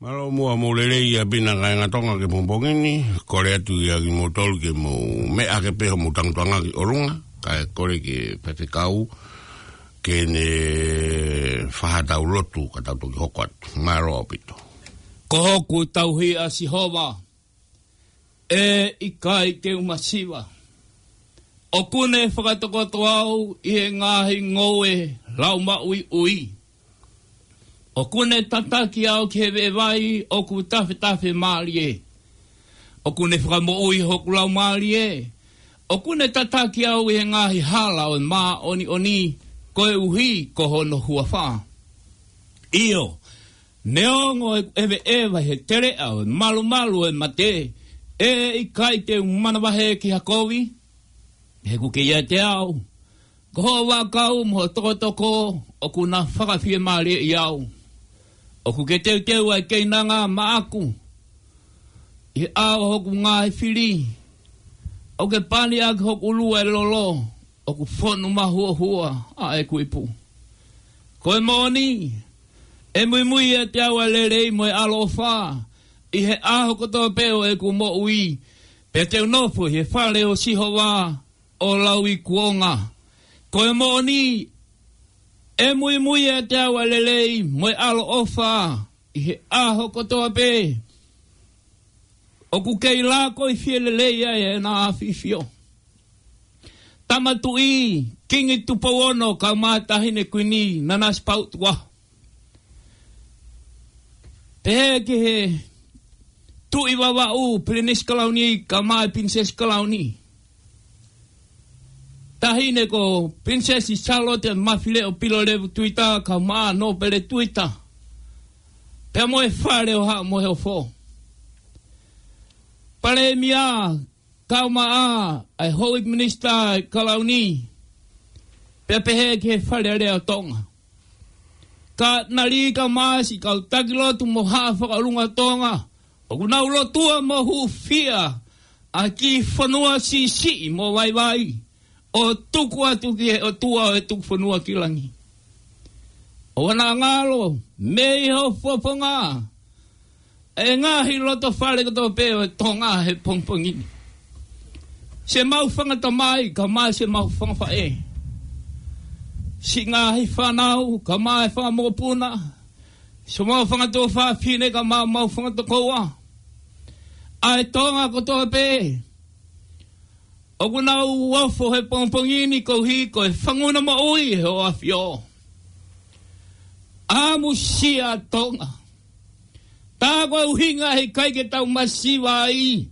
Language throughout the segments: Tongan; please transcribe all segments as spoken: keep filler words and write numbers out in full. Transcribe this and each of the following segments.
Mālō muʻa hoʻomou lelei ʻaupito kāinga Tonga ki he pongipongi ni, kole atu ia kimoutolu ke mou meʻa hake pē hoʻomou tangutuʻanga ki ʻolunga, kae kole ki he faifekau, ke ne fai haʻatau lotu, ka tau toki hoko atu. Mālō ʻaupito. Ko hoku tauhi ʻa Sihova, ʻe ʻikai te u masiva. ʻOku ne fakatokoto au ʻi he ngaahi ngoue laumaʻuiʻui. ʻOku ne tataki au ki he veʻe vai ʻoku tafetafe mālie. ʻOku ne fakamoʻui hoku laumālie. ʻOku ne tataki au ʻi he ngaahi hala ʻo e māʻoniʻoni, koeʻuhi ko hono huafa. ʻIo, neongo ʻeku ʻeveʻeva he teleʻa ʻo e malumalu ʻo e mate, ʻe ʻikai te u manavahē ki ha kovi, he ʻoku ke ʻiate au. Ko hoʻo vaʻakau mo hoʻo tokotoko ʻoku na fakafiemālieʻi au. ʻOku ke teuteu ʻa e keinanga maʻaku ʻi he ʻao ʻo hoku ngaahi fili. ʻOku ke pani ʻaki hoku ʻulu ʻa e lolo, ʻoku fonu mahuohua ʻa ʻeku ipu. Ko e moʻoni, ʻe muimui ʻiate au ʻa e lelei mo e ʻaloʻofa ʻi he ʻaho kotoa pē ʻo ʻeku moʻui, pea te u nofo ʻi he fale ʻo Sihova ʻo lauikuonga. Ko e moʻoni, ʻe muimui ʻiate au ʻa e lelei mo e ʻaloʻofa ʻi he ʻaho kotoa pē. ʻOku kei lākoifie lelei ai ʻena ʻAfifio. Tama Tuʻi, Kingi Tupou Ono, kae ʻumaʻā Taʻahine Kuini Nanasipauʻu Tukuʻaho. Pehē ki he Tuʻi Vavaʻu, Pilinisi Kalauni, kae ʻumaʻā Pilinisesi Kalauni. Taʻahine ko Pilinisesi Sālote Mafileʻo Pilolevu Tuita, kae ʻumaʻā Nōpele Tuita. Pea mo e Fale ʻo Haʻa Moheofo. Palēmia, kae ʻumaʻā ʻa e Houʻeiki Minisitā ʻa e Kalauni, pea pehē ki he Fale Alea ʻo Tonga. Katinali kae ʻumaʻā siʻi kau taki lotu mo haʻa fakaʻolunga Tonga, ʻoku nau lotua mo hūfia ʻa e kiʻi fonua siʻisiʻi mo vaivai, ʻo tuku atu ki he ʻOtua ʻo e tuku fonua ki langi. ʻOua naʻa ngalo mei hoʻo fofonga ʻa e ngaahi loto fale kotoa pē ʻo Tonga he pongipongi ni. Siʻemau fanga tamai, kae ʻumaʻā siʻemau fanga faʻē. Siʻi ngaahi fānau, kae ʻumaʻā e fanga mokopuna. Siʻemau fanga tuofāfine, kae ʻumaʻā homau fanga tokoua. ʻA e Tonga kotoa pē ʻoku nau ofo he pongipongi ni koeʻuhi ko e fanguna moʻui ʻa Hoʻo ʻAfio. ʻAmusia Tonga. Tā ko e ʻuhinga he ʻikai ke tau masiva ai,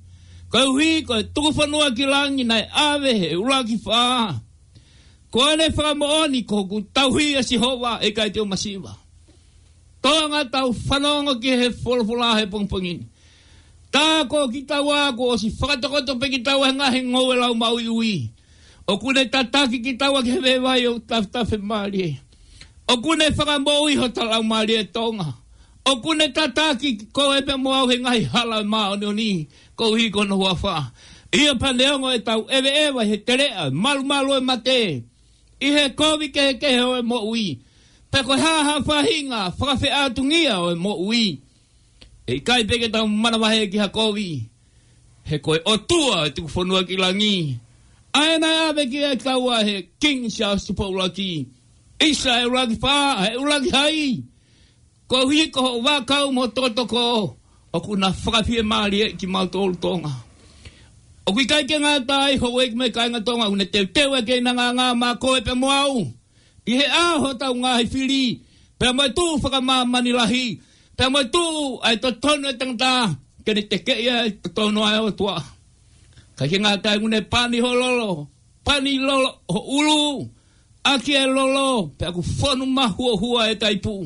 koeʻuhi ko e tuku fonua ki langi naʻe ʻave he ʻUluaki Fā. Ko ʻene fakamoʻoni, ko hoku tauhi ʻa Sihova, ʻe ʻikai te u masiva. Tonga, tau fanongo ki he folofola he pongipongi ni. Tā ko kitaua kuo ʻosi fakatokoto pē kitaua he ngaahi ngoue laumaʻuiʻui. ʻOku ne tataki kitaua ki he veʻe vai ʻoku tafetafe mālie. ʻOku ne fakamoʻui hota laumālie Tonga. ʻOku ne tataki koe pea mo au he ngaahi hala ʻo e māʻoniʻoni, koeʻuhi ko hono huafa. ʻIo, pea neongo ʻetau ʻeveʻeva he teleʻa ʻo e malumalu ʻo e mate, ʻi he kovi kehekehe ʻo e moʻui, pe ko e hā ha faʻahinga fakafeʻātungia ʻo e moʻui, ʻe ʻikai pē ke tau manavahē ki ha kovi, he ko e ʻOtua ʻo e tuku fonua ki langi, ʻa ē naʻe ʻave kiate kitaua he Kingi Siaosi Tupou ʻUluaki, ʻisa ʻa e ʻUluaki Fā, ʻa e ʻUluaki Hai. Koeʻuhi ko hoʻo vaʻakau mo hoʻo tokotoko, ʻoku na fakafiemālieʻi kimautolu Tonga. ʻOku ʻikai ke ngata ai, houʻeiki mo e kāinga Tonga, ʻoku ne teuteu ʻa e keinanga maʻa koe pea mo au ʻi he ʻaho ʻo hotau ngaahi fili, pea mo e tuʻu fakamāmani lahi, pea mo e tuʻu ʻa e totonu ʻo e tangata, ke ne tekeʻi ʻa e totonu ʻa e ʻOtua. ʻIkai ke ngata ai, ʻoku ne pani ho lolo, pani lolo ho ʻulu, ʻaki e lolo, pea ʻoku fonu mahuohua ʻeta ipu.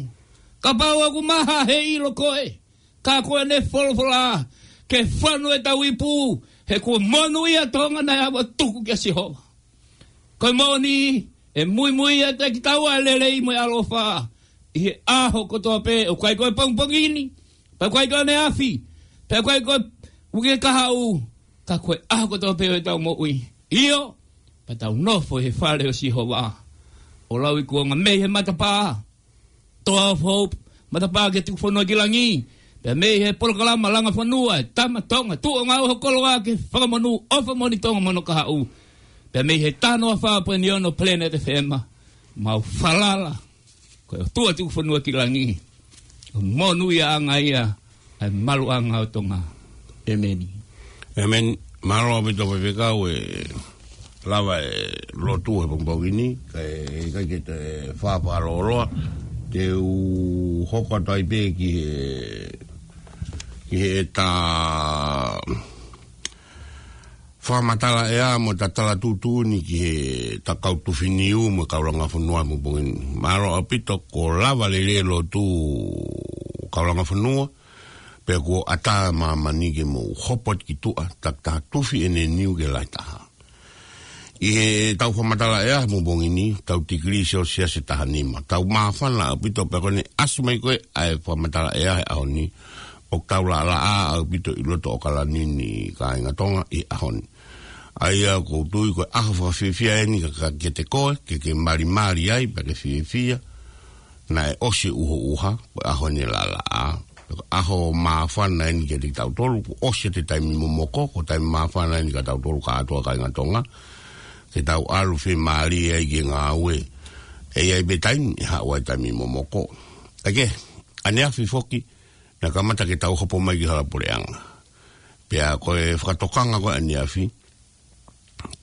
Kapau ʻoku maha he ʻilo koe, ka ko ʻene folofola ke fonu ʻetau ipu, he kuo monūʻia Tonga naʻe ʻave ʻo tuku kia Sihova. Ko e moʻoni, ʻe muimui ʻiate kitaua ʻa e lelei mo e ʻaloʻofa ʻi he ʻaho kotoa pē, ʻoku ʻikai ko e pongipongi ni, pea ʻoku ʻikai ko e ʻaneafi, pea ʻoku ʻikai ko e uike kahaʻu, ka ko e ʻaho kotoa pē ʻo ʻetau moʻui. ʻIo, pea tau nofo he fale ʻo Sihova ʻo lauikuonga mei he matapā, Tower of Hope, matapā ki he tuku fonua ki langi, Pea mei he polokalama Langa Fonua ʻa e Tama Tonga, tuʻu ʻo ngāue ho koloa ke fakamonū ʻofa moʻoni Tonga mo hono kahaʻu. Pea mei he tano a fā poini ono Planet F M, mau falala. Ko e ʻOtua Tukufonua ki langi, ʻo monūʻiaʻanga ia ʻa e maluʻanga ʻo Tonga. ʻEmeni. ʻEmeni. Mālō ʻaupito Faifekau, ʻe lava e lotu he pongipongi ni, kae ʻikai ke te fāfā lōloa, te u hoko atu ai pē ki he, ki heʻeta fakamatala ʻea mo ʻeta tala tuʻutuʻuni ki heʻeta kau tufi niu mo e kau langa fonua he pongipongi ni. Mālō ʻaupito, kuo lava lelei e lotu kau langa fonua, pea kuo ʻatā māmani ke mou hopo atu ki tuʻa, takitaha tufi ʻene niu ke lahi taha. ʻI heʻetau fakamatala ʻea he pongipongi ni, tau tikilī Selsiasi ʻe taha nima. Tau māfana ʻaupito pea ko ʻene ʻasi mai ko ē ʻa e fakamatala ʻea he ʻaho ni, ʻoku tau laʻalaʻā ʻaupito ʻi loto ʻAokalani ni kāinga Tonga ʻi he ʻaho ni. ʻA ia ʻoku ou tui ko e ʻaho fakafiefia eni ka, ka kiate koe, ke ke malimali ai, pea ke fiefia, naʻe ʻosi e ʻuhoʻuha, ko e ʻaho ni e laʻalaʻā. Ko e ʻaho māfana eni kiate kitautolu, kuo ʻosi ʻete taimi momoko, ko e taimi māfana eni kiate kitautolu kātoa kāinga Tonga, ke tau ʻalu fiemālie ai ki he ngāue. ʻE ʻi ai pē taimi ʻe haʻu ai e taimi momoko. Ake, ʻaneafi foki, naʻe kamata ke tau hopo mai ki Halapuleʻanga. Pea ko e fakatokanga ko ē ʻaneafi,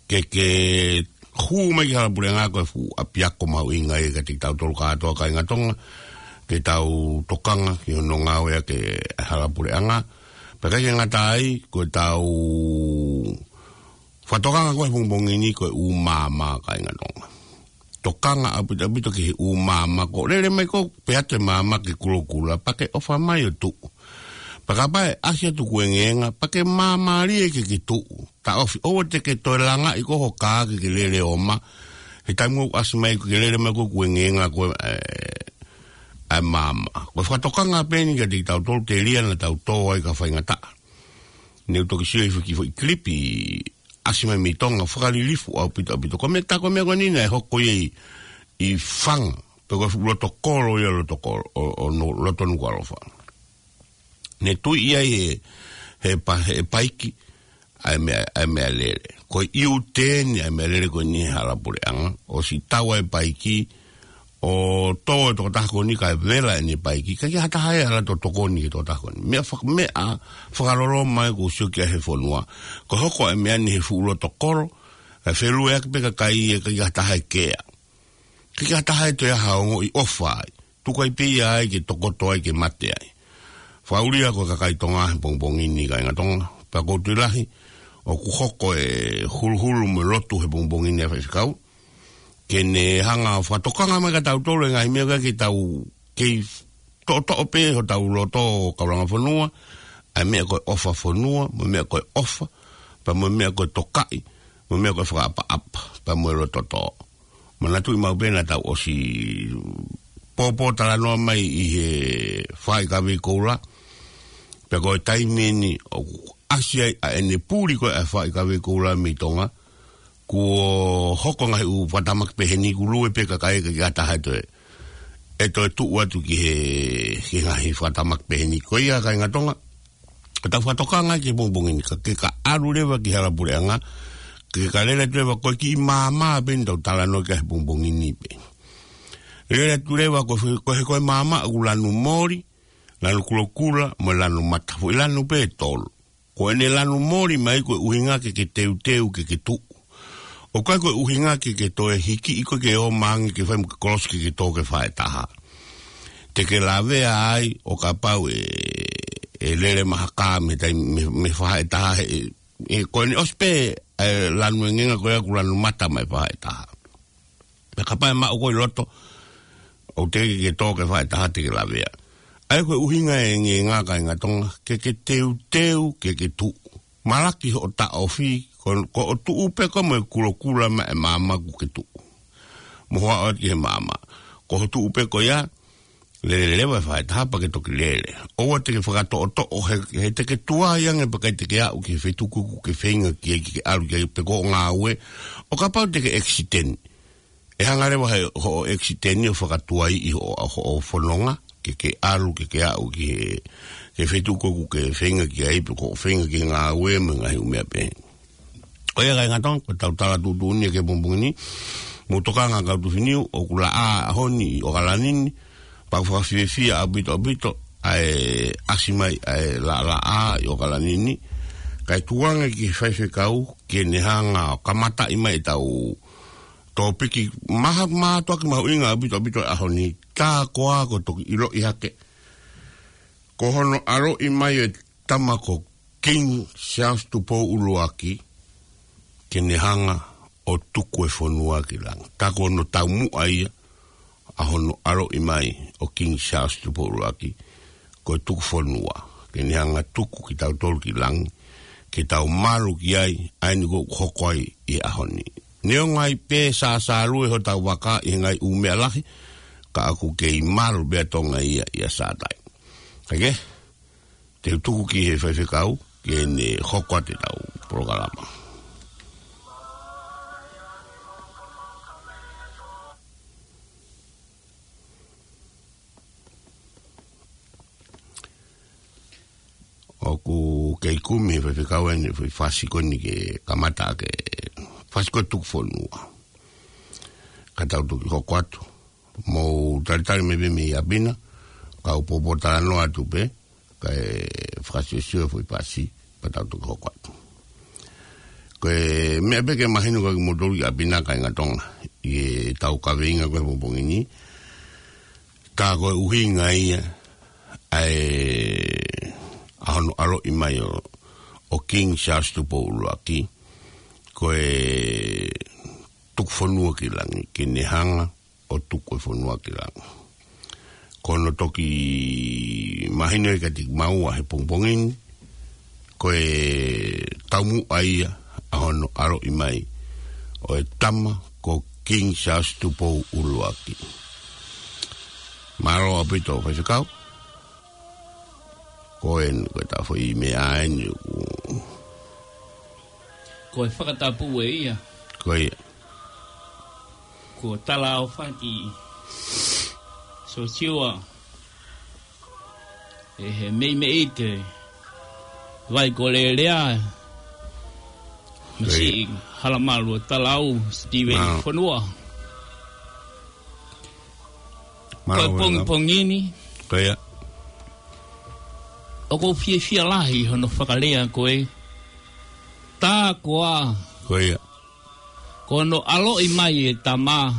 ke ke hū mai ki Halapuleʻanga ko e fuʻu ʻapiako mahuʻinga ia kiate kitautolu kātoa kāinga Tonga, ke tau tokanga ki hono ngāueʻaki e Halapuleʻanga. Pea ʻikai ke ngata ai, ko ʻetau fakatokanga ko ē he pongipongi ni ko e ʻū maama kāinga Tonga. Tokanga ʻaupito ʻaupito ki he ʻū maama, ko e lele mai ko ē pē ʻa e maama ki Kulokula, pea ke ʻofa mai ʻo tuʻu. Pea kapau ʻe ʻasi atu kuengenga, pea ke māmālie ke ke tuʻu. Taʻofi, ʻoua te ke toe langaʻi ko ē ho kā ke ke lele ʻo ō mai. He taimi ʻoku ʻasi mai ko ē ke lele mai ko ē kuengenga ko ē, ʻa e maama. Ko e fakatokanga pē eni kiate kitautolu, telia naʻa tau tō ai ka faingataʻa. Ne u toki sio ʻi he foʻi, foʻi kilipi ʻasi mai mei Tonga, fakalilifu ʻaupito ʻaupito. Ko e meʻa, tā ko e meʻa ko eni naʻe hoko ia ʻi, ʻi Faga, pe ko e fuʻu loto kolo ia, loto kolo, ʻo, ʻo no, loto Nukuʻalofa. Ne tuiʻi ai he, he pa-, he paiki ʻa e meʻa, ʻa e meʻalele. Ko e U-turn ʻa e meʻalele ko eni he Halapuleʻanga, ʻosi tau ai e paiki, ʻo tō e tokotaha ko eni kae vela ʻene paiki, ʻikai ke ha taha ʻe ala ʻo tokoni ki he tokotaha ko eni. Meʻa fak-, meʻa fakaloloma ia kuo u sio ki ai he fonua. Ko e hoko ʻa e meʻa ni he fuʻu loto kolo, ʻe felueʻaki pē kakai, ʻikai ke ha taha ʻe kea. ʻIkai ke ha taha ʻe toe ʻi ai ha ongoʻi ʻofa ai. Tuku ai pē ia ai ke tokoto ai ke mate ai. Fakaʻulia ko e kakai Tonga he pongipongi ni kāinga Tonga. Pea ʻoku ou tui lahi, ʻoku hoko e huluhulu mo e lotu he pongipongi ni ʻa e Faifekau. Ke ne hanga ʻo fakatokanga mai kiate kitautolu e ngaahi meʻa ʻoku ʻikai ke tau kei toʻotoʻo pē hotau loto kau langa fonua, ʻa e meʻa ko e ʻofa fonua, mo e meʻa ko e ʻofa, pea mo e meʻa ko e tokaʻi, mo e meʻa ko e fakaʻapaʻapa, pea mo e loto tō. Manatuʻi maʻu pē naʻa tau ʻosi pōpōtalanoa mai ʻi he Faʻahikavei Koula, pea ko e taimi eni ʻoku ʻasi ai ʻa ʻene puli ko ē ʻa e Faʻahikavei Koula mei Tonga, kuo hoko e ngaahi ʻū fakatamaki pehē ni, kuo lue pē kakai, ʻikai ke ha taha ʻe toe, ʻe toe tuʻu atu ki he, ki he ngaahi fakatamaki pehē ni. Ko ia kāinga Tonga, ka tau fakatokanga ki he pongipongi ni, ka ke ka ʻalu leva ki Halapuleʻanga, ke ka lele atu leva ko e kiʻi maama pē eni ʻoku tau talanoa ki ai he pongipongi ni pē. Lele atu leva ko e, ko e, ko e maama ʻoku lanu moli, lanu kulokula, mo e lanu mata. Foʻi lanu pē ʻe tolu. Ko ʻene lanu moli mai ko e ʻuhinga ke ke teuteu ke ke tuʻu. ʻOku ʻikai ko e ʻuhinga ke ke toe hikiʻi koe ke ō mai ange ke fai mo ke kolosi ke ke tō ki he faʻahitaha. Te ke lavea ai ʻo kapau ʻe, ʻe lele mai ha kā mei he taimi, mei, mei he faʻahitaha he, ʻe, ko ʻene ʻosi pē ʻa e lanu engenga ko ia ʻoku lanu mata mai faʻahitaha. Pea kapau ʻe maʻu koe ʻi loto, ʻoku teʻeki ke tō ki he faʻahitaha te ke lavea. ʻA ia ko e ʻuhinga e engenga kāinga Tonga, ke ke teuteu ke ke tuʻu. Malaki hoʻo taʻofi, ko, ko hoʻo tuʻu pē koe mo e kulokula mo e maama kuo ke tuʻu. Mo hoʻo aʻu ki he maama. Ko hoʻo tuʻu pē ko ia, lele leva e faʻahitaha pea ke toki lele. ʻOua te ke fakatoʻotoʻo he, he te ke tuai ange pea ʻikai te ke aʻu ki he feituʻu ko ē ʻoku ke feinga ki ai ke ke ʻalu ki ai pe ko hoʻo ngāue. ʻO kapau te ke ʻekisiteni. ʻE hanga leva he hoʻo ʻekisiteni ʻo fakatuaiʻi hoʻo, hoʻo fononga, ke ke ʻalu, ke ke aʻu ki he, ki he feituʻu ko ē ʻoku ke feinga ki ai, pe ko e feinga ki he ngāue mo e ngaahi ʻū meʻa pehē. Ko ia kāinga Tonga, ko ʻetau tala tuʻutuʻuni ki he pongipongi ni, mou tokanga kau Tufiniu, ʻoku laʻā ʻaho ni ʻi ʻOkalani ni, pea ʻoku fakafiefia ʻaupito ʻaupito ʻa e ʻasi mai ʻa e laʻalaʻā ʻi ʻOkalani ni, kae tuku ange ki he faifekau ke ne hanga ʻo kamataʻi mai ʻetau tōpiki maha, maha toki mahuʻinga ʻaupito ʻaupito ʻaho ni, tā koā kuo toki ʻiloʻi hake ko hono ʻaloʻi mai e tama ko King Charles Tupou ʻUluaki ke ne hanga ʻo tuku e fonua ki langi. Tā ko hono taumuʻa ia ʻa hono ʻaloʻi mai ʻo King Charles Tupou ʻUluaki ko e tuku fonua, ke ne hanga tuku kitautolu ki langi, ke tau malu ki ai, ʻa eni ʻoku hoko ai ʻi he ʻaho ni. Neongo ai pē sāsālue hotau vaka ʻi he ngaahi ʻū meʻa lahi, ka ʻoku kei malu pē ʻa Tonga ia ʻia Sātai. Kae kehe, te u tuku ki he faifekau ke ne hoko atu ʻetau polokalama. ʻOku kei kumi he faifekau ʻene foʻi fasi ko eni ke kamata ke fasi ko e tuku fonua. Ka tau toki hoko atu. Mou talitali mai pē mei ʻapiako, kau poupou talanoa atu pē, kae fakasiosio e foʻi fasi, pea tau toki hoko atu. Ko e meʻa pē ke mahino kiate kimoutolu ʻi ʻapiako kāinga Tonga, ʻi heʻetau kaveinga ko ē he pongipongi ni, tā ko e ʻuhinga ia ʻa e, ʻa hono ʻaloʻi mai ʻo, ʻo King Charles Tupou ʻUluaki, ko e tuku fonua ki langi, ke ne hanga ʻo tuku e fonua ki langi. Ko hono toki mahino ia kiate kimaua he pongipongi ni, ko e taumuʻa ia ʻa hono ʻaloʻi mai ʻo e tama ko King Charles Tupou ʻUluaki. Mālō ʻaupito faifekau. Ko eni, ko e tafoʻi meʻa eni ʻoku. Ko e fakatapu ē ia. Ko ia. Ko e talaʻofa ʻa Siosiua. ʻE he meimei te vai ko lelea. Ko ia. Masi Halamalu ʻo Talau, Steven Mālō. Fonua. Ko e Mālō, pongipongi ni. Ko ia. ʻOku ou fiefia lahi hono fakalea ko e tā koā. Ko ia. Ko hono ʻaloʻi mai e tama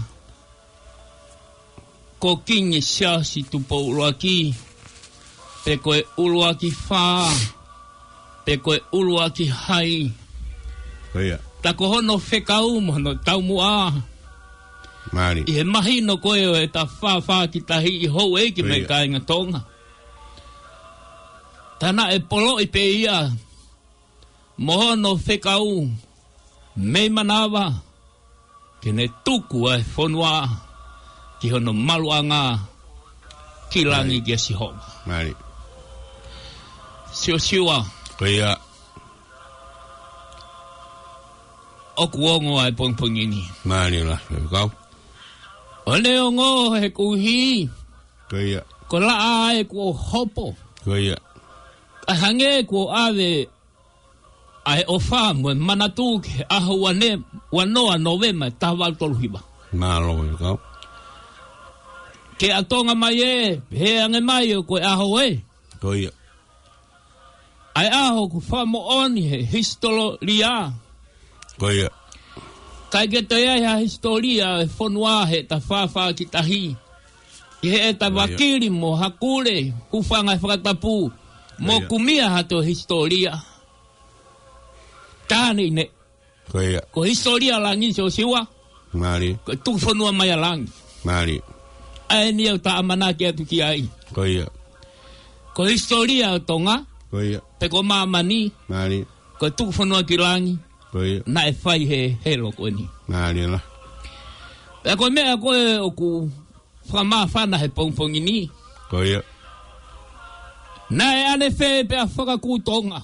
ko Kingi Siaosi Tupou ʻUluaki, pe ko e ʻUluaki Fā, pe ko e ʻUluaki Hai. Ko ia. Tā ko hono fekau mo hono taumuʻa. Mālie. ʻI he mahino ko ē ʻo e tafaʻaki tahi ʻi houʻeiki mo e Ko ia. Kāinga Tonga. Tā naʻe poloʻi pē ia mo hono fekau mei manava ke ne tuku ʻa e fonua ki hono maluʻanga ki langi Mālie. kia Sihova. Mālie. Siosiua. Ko ia. ʻOku ongo ʻa e pongipongi ni. Mālie la, kau. ʻO ne ongo he kuhi. Ko ia. Ko e laʻā ē kuo hopo. Ko ia. Ka hangē kuo ʻave ʻa e ʻofa mo e manatu ki he ʻaho ua ne, ua noa Nōvema taha valu tolu hiva. Mālō e kau. Ke ʻa Tonga mai ē, he ange mai ʻo ko e ʻaho ē. Ko ia. ʻA e ʻaho ʻoku fakamoʻoni he hisitōlia. Ko ia. ʻIkai ke toe ʻi ai ha hisitōlia e fonua he tafaʻaki tahi. ʻI heʻeta Ko ia. vakili mo hakule, hūfanga he fakatapu, mo Ko ia. kumia ha toe hisitōlia. Tāne ine. Ko ia. Ko e hisitōlia langi Siosiua. Mālie. Ko e tuku fonua mai ʻa langi. Mālie. ʻA eni ʻoku ta ʻamanaki atu ki ai. Ko ia. Ko e hisitōlia ʻo Tonga. Ko ia. Pe ko māmani. Mālie. Ko e tuku fonua ki langi. Ko ia. Naʻe fai he helo ko eni. Mālie la. Pea ko e meʻa ko ē ʻoku fakamāfana he pongipongi ni. Ko ia. Naʻe ʻanefē pea fakakū Tonga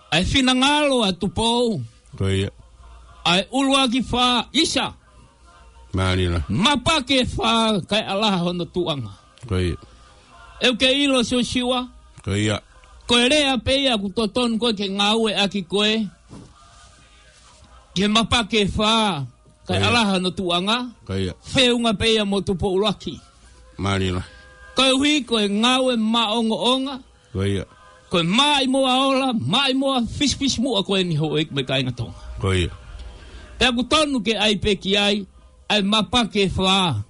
ʻa e finangalo ʻa Tupou. Ko ia. ʻA e ʻUluaki Fā ʻisa. Mālie lahi. Mapaki ʻe fā, kae ʻalaha hono tuʻanga. Ko ia. ʻOku ke ʻilo Siosiua. Ko ia. Ko e lea pē ia ʻoku totonu ko ē ke ngāue ʻaki ko ē. Ke mapaki ʻe fā, kae Ko ia. ʻalaha hono tuʻanga. Ko ia. Feʻunga pē ia mo Tupou ʻUluaki. Mālie lahi. Koeʻuhi ko e ngāue maʻongoʻonga. Ko ia. Ko e maʻimoa ola, maʻimoa fisifisimuʻa ko eni houʻeiki mo e kāinga Tonga. Ko ia. Pea ʻoku tonu ke ʻai pē ki ai, ʻa e mapaki ʻe fā.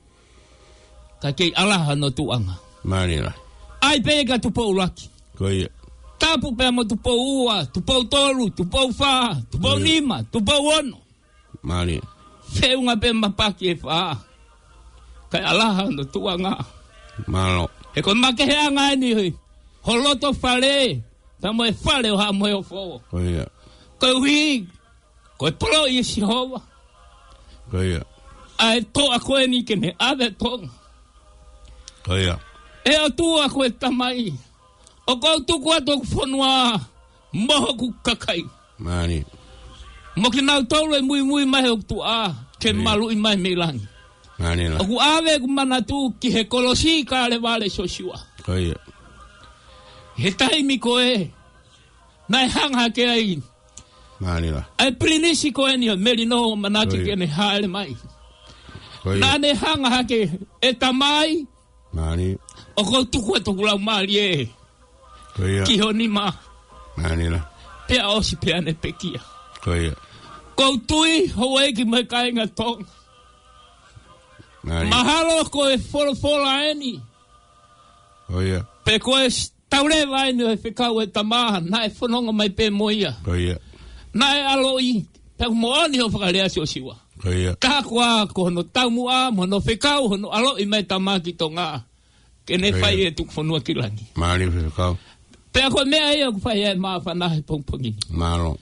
Kae kei ʻalaha hono tuʻanga. Mālie lahi. ʻAi pē kia Tupou ʻUluaki. Ko ia. Tapu pē mo Tupou Ua, Tupou Tolu, Tupou Fā, Tupou Ko ia. Nima, Tupou Ono. Mālie. Feʻunga pē mapaki ʻe fā. Kae ʻalaha hono tuʻanga. Mālō. He ko e makeheʻanga eni hoi. Ho loto fale. Pea mo e fale ʻo Haʻa Moheofo. Ko ia. Koeʻuhi. Ko e poloʻi ʻe Sihova. Ko ia. ʻA e toʻa ko eni ke ne ʻave Tonga. Ko ia. ʻE ʻOtua ko e Tamai. ʻOku ou tuku atu hoku fonua. Mo hoku kakai. Mālie. Mo kinautolu ʻe muimui mai hoku tuʻa. Ke Mālie. maluʻi mai mei langi. Mālie lahi. ʻOku ʻave ʻeku manatu ki he kolosi Kalevale Siosiua. Ko ia. He taimi ko ē. Naʻe hanga hake ai. Mālie lahi. ʻA e pilinisi ko eni ʻo Melino ʻAmanaki Ko ia. ke ne hāʻele mai. Ko ia. Naʻa ne hanga hake ʻe Tamai. Mālie. ʻOku ou tuku atu hoku laumālie. Ko ia. Ki ho nima. Mālie lahi. Pea ʻosi pea ne pekia. Ko ia. ʻOku ou tui houʻeiki mo e kāinga Tonga. Mālie. Mahalo ko e folofola eni. Ko ia. Pe ko e s-, tauleva eni ʻo e fekau ʻa e tama, naʻe fononga mai pē mo ia. Ko ia. Naʻe ʻaloʻi, pea ʻoku moʻoni hoʻo fakalea Siosiua. Ko ia. Ka koā ko hono taumuʻa, mo hono fekau, hono ʻaloʻi mai tama ki Tonga. Ke ne Ko ia. fai e tuku fonua ki langi. Mālie fekau. Pea ko e meʻa ia ʻoku fai ai e māfana he pongipongi ni. Mālō.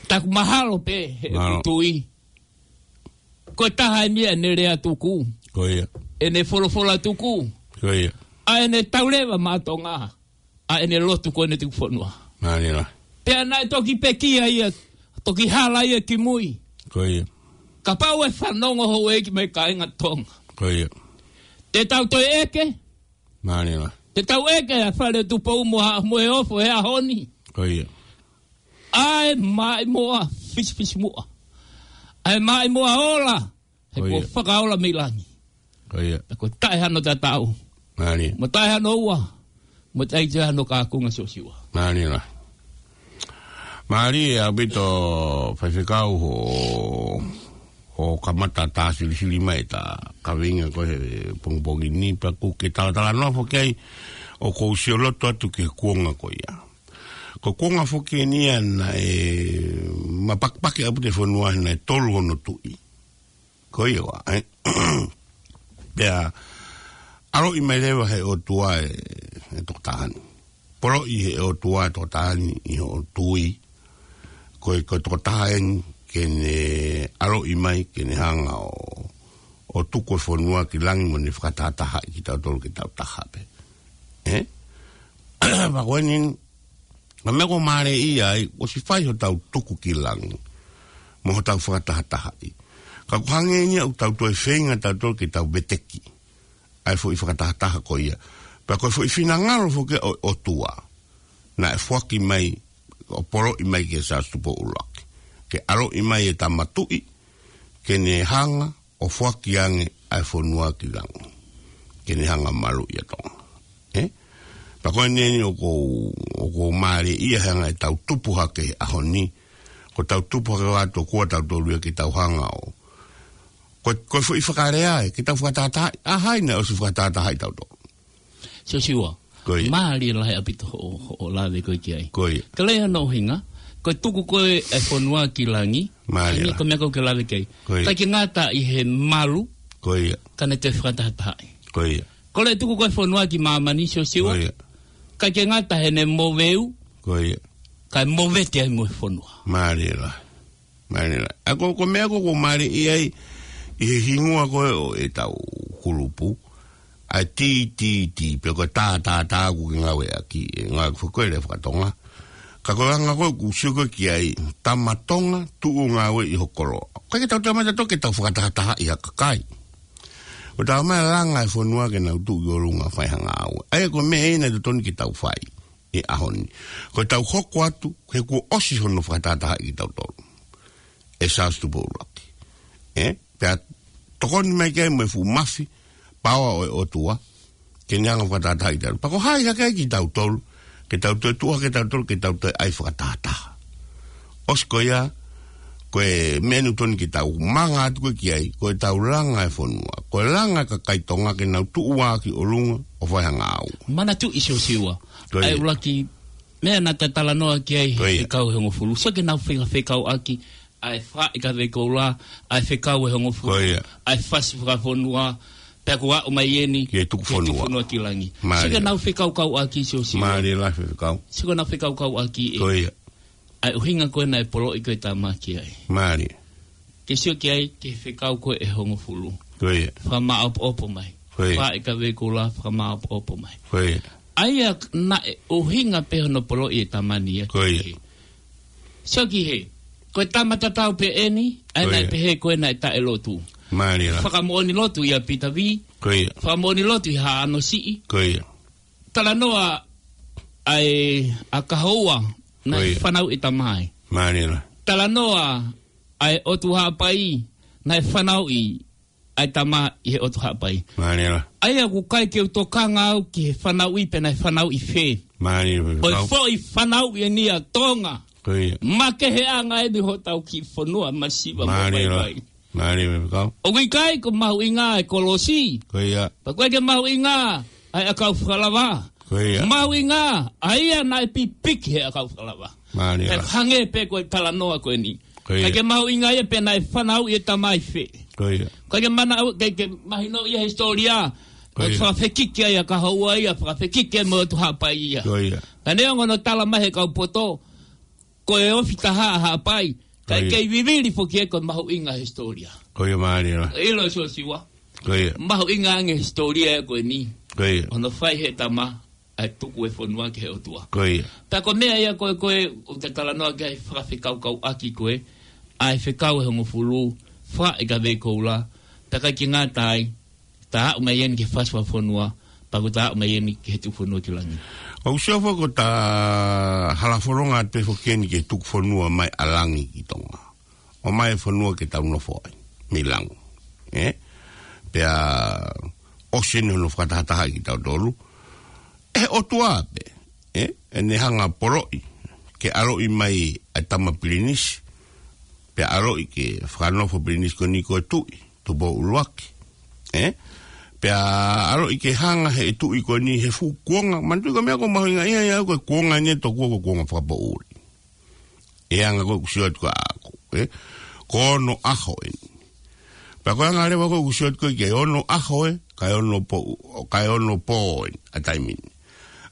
Taku mahalo pē, he Mālō. ʻoku tui. Ko e taha eni ʻene lea tuku. Ko ia. ʻEne folofola tuku. Ko ia. ʻA ʻene tauleva maʻa Tonga. ʻA ʻene lotu ko ʻene tuku fonua. Mālie lahi. Pea naʻe toki pekia ia, toki hala ia ki mui. Ko ia. Kapau ʻe fanongo houʻeiki mo e kāinga Tonga. Ko ia. Te tau toe ʻeke. Mālie lahi. Te tau ʻeke ʻa e fale Tupou mo Haʻa Moheofo he ʻaho ni. Ko ia. ʻA e maʻimoa fisifisimuʻa. ʻA e maʻimoa ola. He Ko kuo ia. fakaola mei langi. Ko ia. Pea ko e taʻehano tatau. Mālie. Mo e taʻehano ua. Mo e taʻehano kakunga Siosiua. Mālie lahi. Mālie ʻaupito faifekau hoʻo, hoʻo kamata tā silisili mai ʻeta kaveinga ko ē he pongipongi ni pea ʻoku ke talatalanoa foki ai ʻoku ou sioloto atu ki he kuonga ko ia. Ko e kuonga foki eni ia naʻe mapakipaki ʻaupito e fonua he naʻe tolu hono tuʻi. Ko ia ʻa e. Pea, ʻaloʻi mai leva he ʻOtua e, e tokotaha ni. Poloʻi he ʻOtua e tokotaha ni ʻi hoʻo tui. Ko e, ko e tokotaha eni ke ne ʻaloʻi mai, ke ne hanga ʻo, ʻo tuku e fonua ki langi mo ne fakatahatahaʻi kitautolu ke tau taha pē. Ē? Pea ko eni, ko e meʻa ʻoku ou mālieʻia ai, ʻosi fai hotau tuku ki langi, mo hotau fakatahatahaʻi. Ka ʻoku hangē eni ia ʻoku tau toe feinga tautolu ke tau veteki ʻa e foʻi fakatahataha ko ia. Pea ko e foʻi finangalo foki ʻo, ʻOtua. Naʻe foaki mai, ʻo poloʻi mai kia Siaosi Tupou ʻUluaki. Ke ʻaloʻi mai e tama tuʻi, ke ne hanga, ʻo foaki ange ʻa e fonua ki langi. Ke ne hanga maluʻi ʻa Tonga. Ē? Pea ko eni eni ʻoku ou, ʻoku ou mālieʻia he anga ʻetau tupu hake he ʻaho ni. Ko ʻetau tupu hake ʻo ʻatu ʻoku ʻa tautolu ia ke tau hanga ʻo. Ko, ko e foʻi fakalea ē, ke tau fakatahatahaʻi, ʻa hai naʻe ʻosi fakatahatahaʻi tautolu. Siosiua. Ko ia. Mālie lahi ʻaupito hoʻo, hoʻo lave ko ē ki ai. Ko ia. Ka lea no hinga, ko e tuku ko ē e fonua ki langi, Mālie lahi. Ko e meʻa ko ē ke lave ki ai. Ko ia. ʻIkai ke ngata ʻi he malu, Ko ia. ka ne toe fakatahatahaʻi. Ko ia. Ko e tuku ko ē e fonua ki māmani Siosiua, Ko ia. ʻIkai ke ngata heʻene moveu, Ko ia. kae movete ai mo e fonua. Mālie lahi. Mālie lahi. ʻA ko, ko e meʻa ko ē ʻoku ou mālieʻia ai, ʻi he hingoa ko ē ʻo ʻetau kulupu, ʻa e T T T, pe ko e tā, tā, tā ʻoku ke ngāueʻaki, ʻe ngāueʻaki foki ko e lea faka-Tonga. Ka ko e anga ko ē ʻoku sio ko ē ki ai, tama Tonga, tuʻu ʻo ngāue ʻi ho koloa. ʻOku ʻikai ke tau tama tautolu ke tau fakatahatahaʻi ha kakai. Ko e tau mai langa e fonua ke nau tuʻu ki ʻolunga fai ha ngāue. ʻA ia ko e meʻa ē naʻe totonu ke tau fai ʻi he ʻaho ni. Ko e tau hoko atu, he kuo ʻosi hono fakatahatahaʻi kitautolu ʻe Siaosi Tupou ʻUluaki. ʻE? Pea tokoni mai ki ai mo e fuʻu mafi, paoa ʻo e ʻOtua, ke ne hanga ʻo fakatahatahaʻi kitautolu. Pea ko hai hake ai kitautolu, ke tau toe tuʻu hake kitautolu, ke tau toe ʻai fakatahataha. ʻOsi ko ia, ko e meʻa naʻe totonu ke tau manga atu ko ē ki ai, ko e tau langa e fonua. Ko e langa e kakai Tonga ke nau tuʻu ā ki ʻolunga ʻo fai ha ngāue. Manatuʻi Siosiua. Ko ia. ʻA e ʻuluaki meʻa naʻa ta talanoa ki ai, Ko ia. he kau he hongofulu. Sio ki heʻenau fekau, fekauʻaki, ʻa e fakaʻi kavei koula, ʻa e fekau he hongofulu, Ko ia. ʻa e fasi fakafonua, pea kuo aʻu mai eni, Ki he tuku ki he tuku fonua. fonua ki langi. Mālie. Sio ki heʻenau fekaukauʻaki Siosiua. Mālie lahi e fekau. Sio ki heʻenau fekaukauʻaki ē. Ko ia. ʻA e ʻuhinga ko ē naʻe poloʻi ko ē e tama ki ai. Mālie. Ke sio ki ai, ki he fekau ko ē he hongofulu. Ko ia. Fakamāʻopoʻopo mai. Ko ia. Fakaʻi kavei koula, fakamāʻopoʻopo mai. Ko ia. ʻA ia naʻe ʻuhinga pē hono poloʻi e tama ni ia. Ko ia. Sio ki hē. Ko e tama tatau pē eni, ʻa ia Ko naʻe ia. pehē ko ē naʻe taʻelotu. Mālie lahi. Fakamoʻoni lotu ʻia Pita Vī. Ko ia. Fakamoʻoni lotu ʻi Haʻano Siʻi. Ko ia. Talanoa ʻa e, ʻa Kahoua, naʻe Ko ia. fanauʻi e tama ai. Mālie lahi. Talanoa ʻa e ʻOtu Haʻapai, naʻe fanauʻi ʻa e tama ʻi he ʻOtu Haʻapai. Mālie lahi. ʻA ia ʻoku ʻikai ke u tokanga au ki he fanauʻi pe naʻe fanauʻi fē. Mālie lahi. Ko e foʻi fanauʻi eni ʻa Tonga. Ko ia. Makeheʻanga eni hotau kiʻi fonua masiva mo Mālie lahi. vaivai. Mālie lahi e fekau. ʻOku ʻikai ko e mahuʻinga e kolosi. Ko ia. Pea ʻoku ʻikai ke mahuʻinga ʻa e ʻakau fakalava. Ko ia. Mahuʻinga ʻa ia naʻe pipiki he ʻakau fakalava. Mālie lahi. Pea hangē pē ko e talanoa ko eni. Ko ia. ʻIkai ke mahuʻinga ia pe naʻe fanauʻi e tama ʻi fē. Ko ia. ʻIkai ke mana-, ke, ke mahino ia he hisitōlia. Ko ia. Fakafekiki ai ʻa Kahoua ia, fakafekiki ai mo e ʻOtu Haʻapai ia. Ko ia. Ka neongo hono tala mai he kau poto, ko e ofi taha ʻa Haʻapai, ka Ko ia. ʻikai ke vivili foki ia ko e mahuʻinga he hisitōlia. Ko ia mālie lahi. ʻIlo Siosiua. Ko ia. Mahuʻinga ange he hisitōlia ko eni. Ko ia. Hono fai he tama, ʻa e tuku e fonua ki he ʻOtua. Ko ia. Pea ko e meʻa ia ko ē, ko ē, ʻoku ta talanoa ki ai fakafekaukauʻaki ko ē, ʻa e fekau he hongofulu, fakaʻi kavei koula, pea ʻikai ke ngata ai, ta aʻu mai eni ki he fasi fakafonua, pea kuo ta aʻu mai eni ki he tuku fonua ki langi. ʻOku sio foki ko e ta halafononga atu pē foki eni ki he tuku fonua mai ʻa langi ki Tonga. ʻOmai e fonua ke tau nofo ai, mei langi. ʻE? Pea ʻosi eni hono fakatahatahaʻi kitautolu. ʻE he ʻOtua pē, ʻe? ʻEne hanga ʻo poloʻi, ke ʻaloʻi mai ʻa e tama pilinisi. Pea ʻaloʻi ke fakanofo pilinisi ko eni ko e tuʻi, Tupou ʻUluaki. ʻE? Pea ʻaloʻi ke hanga he tuʻi ko eni he fuʻu kuonga. Manatuʻi ko e meʻa ʻoku mahuʻinga ia ia ko e kuonga eni ʻe tokua ko e kuonga fakapoʻuli. ʻE anga ko ē ʻoku sio atu kia koe, ʻe? Ko onoʻaho eni. Pea ko e anga leva ko ē ʻoku sio atu ko ē ki he onoʻaho ē, kae ono pō, kae ono pō eni, ʻa e taimi ni.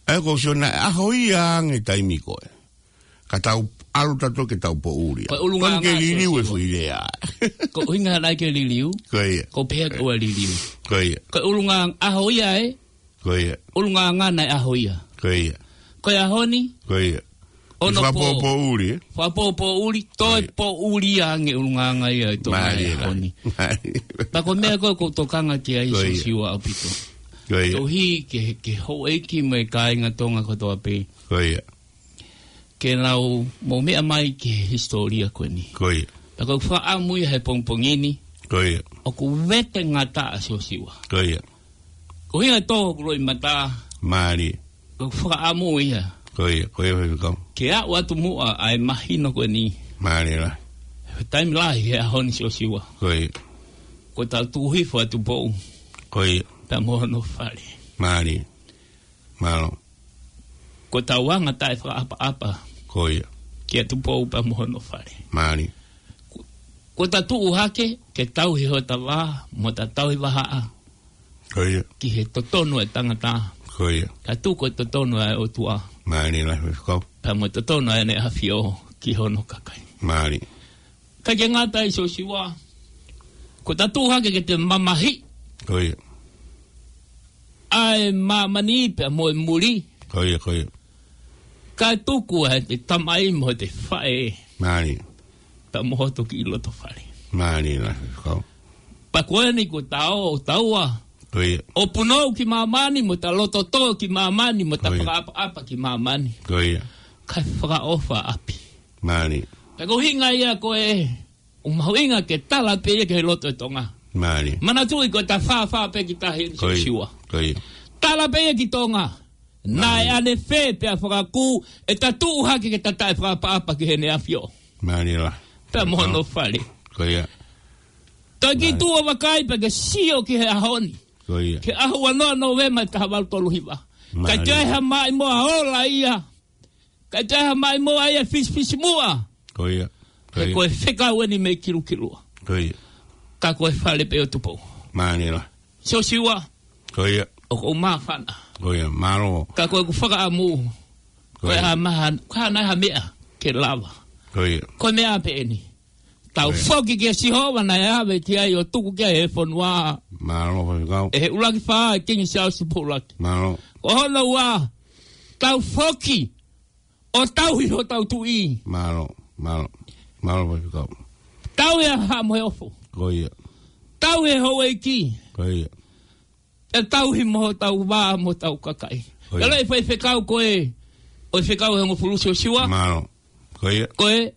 ʻA ia ʻoku sio naʻe ʻaho ia ange taimi ko ē. Ka tau ʻalu tautolu ke tau poʻuli. Ko e ʻulungaanga Tonu ke liliu e Siosiua. Foʻi lea. Ko e ʻuhinga naʻe ʻikai ke liliu. Ko ia. Ko e pehē ko e liliu. Ko ia. Ko e ʻulungaanga ʻaho ia ē. Ko ia. ʻUlungaanga naʻe ʻaho ia. Ko ia. Ko e ʻaho ni. Ko ia. Ono pō. Fakapōpōʻuli, ē? Fakapōpōʻuli, toe Ko ia. Pōʻuli ange ʻulungaanga ia ʻe Tonga Mālie ʻaho lahi. Ni. Mālie. Pea ko e meʻa ko ē ʻoku ou tokanga ki ai Ko ia. Siosiua ʻaupito. Ko ia. Koeʻuhi ke, ke houʻeiki mo e kāinga Tonga kotoa pē. Ko ia. Ke nau mou meʻa mai ki he hisitōlia ko eni. Ko ia. Pea ʻoku ou fakaʻamu ia he pongipongi ni. Ko ia. ʻOku vete ngata ʻa Siosiua. Ko ia. Ko e ʻuhinga ʻoku ou loʻimata. Mālie. ʻOku ou fakaʻamu ia. Ko ia, ko ia fai kau. Ke aʻu atu muʻa ʻa e mahino ko eni. Mālie lahi. Taimi lahi he ʻaho ni Siosiua. Ko ia. Ko ʻetau tuku hifo ʻa Tupou. Ko ia. Pea mo hono fale. Mālie. Mālō. Ko ʻetau anga taʻefakaʻapaʻapa. Ko ia. Kia Tupou pea mo hono fale. Mālie. Ko, ko ʻeta tuʻu hake, ke tauhi hota vā, mo ʻeta tauhi vahaʻa. Ko ia. Ki he totonu ʻa e tangata. Ko ia. Kae tuku e totonu ʻa e ʻOtua. Mālie lahi fai kau. Pea mo e totonu ʻa ʻEne ʻAfio, ki hono kakai. Mālie. ʻIkai ke ngata ai Siosiua. Ko ʻeta tuʻu hake ke te mamahiʻi. Ko ia. ʻA e māmani pea mo e muli. Ko ia, ko ia. Kae tuku ʻa e tamai mo e faʻē. Mālie. Pea mo hoto kiʻi loto fale. Mālie lā, Faifekau. Pea ko eni ko e tau, taua. Ko ia. ʻO punou ki māmani, mo ta loto tō ki māmani, mo ta Ko ia. fakaʻapaʻapa ki māmani. Ko ia. Kae fakaʻofa ʻapi. Mālie. Pea ko e ʻuhinga ia ko e, ʻoku mahuʻinga ke tala pē ia ki he loto ʻo Tonga. Mālie. Manatuʻi ko e ta fāfā pē ki tahi eni Ko ia. Siosiua. Ko ia. Tala pē ia ki Tonga. Naʻe Mālie. ʻanefē pea fakakū, ʻe ta tuʻu hake ke ta taʻefakaʻapaʻapa ki heʻene ʻAfio. Mālie lā. Pea mo hono fale. Ko ia. Toe kiʻi Mālie. tuʻu ʻo vakai pea ke sio ki he ʻaho ni. Ko ia. Ki he ʻaho ua noa Nōvema taha valu tolu hiva. Mālie. Kae ʻikai ha maʻimoa ola ia. Kae ʻikai ha maʻimoa ia fisifisimuʻa. Ko ia. Ko He ia. ko e fekau eni mei Kilukilua. Ko ia. Ka ko e fale pē ʻo Tupou. Mālie lā. Siosiua. Ko ia. ʻOku ou māfana. Ko ia, mālō. Ka ko ʻeku fakaʻamu. Ko Ko e ia. ha maha, ko e hā nai ha meʻa ke lava. Ko ia. Ko e meʻa pē eni. Tau Ko ia. foki kia Sihova naʻe ʻave ki ai ʻo tuku ki ai e fonua. Mālō, Faifekau. ʻE he ʻuluaki fā, Kingi Siaosi Pōʻuilaki. Mālō. Ko hono ua, tau foki ʻo tauhi hotau tuʻi. Mālō, mālō. Mālō, Faifekau. Tauhi ʻa Haʻa Moheofo. Ko ia. Tauhi e houʻeiki. Ko ia. ʻE tauhi mo hotau vā, mo hotau kakai. Ko ia. Ka lei Faifekau ko e, ʻo e fekau ʻe hongofulu Siosiua. Mālō. Ko ia. Ko e,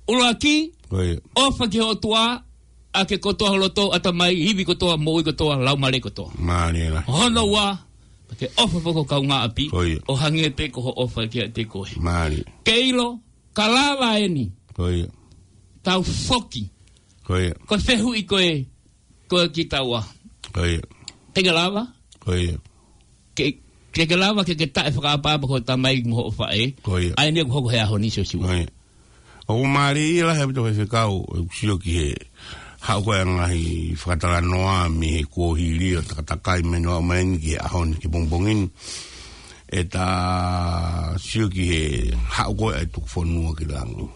ʻuluaki, Ko ia. ʻofa ki he ʻOtua, ʻaki kotoa ho loto, ʻatamai, ivi kotoa, moʻui kotoa, laumālie kotoa. Mālie lā. Hono ua, ke ʻofa foki ho kaungāʻapi, Ko ia. ʻo hangē pē ko hoʻo ʻofa kiate koe. Mālie. Ke ʻilo, ka lava eni. Ko ia. Tau foki. Ko ia. Ko e fehuʻi ko e, ko e kitaua. Ko ia. Te ke lava? Ko ia. Ke, ke ke lava ke ke taʻefakaʻapaʻapa ki ho tamai mo hoʻo faʻē. Ko ia. ʻA eni ʻoku hoko he ʻaho ni Siosiua. Ko ia. ʻOku mālie lā he pito he fekau, ʻoku sio ki he haʻu ko e ngaahi fakatalanoa mei he kuohili ʻo takatakai mei he noa mai ni ki he ʻaho ni ki he pongipongi ni. ʻE ta sio ki he haʻu ko e ʻa e tuku fonua ki langi.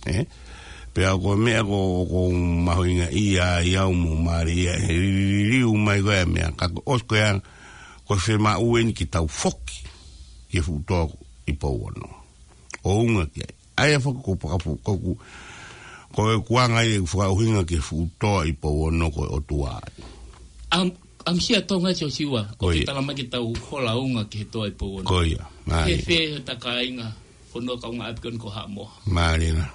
ʻE? Pea ko e meʻa ko, ʻoku mahuʻinga ia, ia ʻoku mālie ia, he liliu mai ko e meʻa, ka ko ʻosi ko ia, ko e fiemaʻu eni ke tau foki, ki he fuʻu toa ʻi Pouono. ʻO unga ki ai. ʻA ia foki ko pakafu, ko ku, ko e kuanga ia ʻoku fakaʻuhinga ki he fuʻu toa ʻi Pouono ko e ʻOtua. Am, am sia Tonga Siosiua, ko Ko e ia. tala mai ke tau hola unga ki he toa ʻi Pouono. Ko ia, He mālie. fē he ta kāinga, fonua kaungāʻapi ko eni ko Haʻamoa. Mālie lā.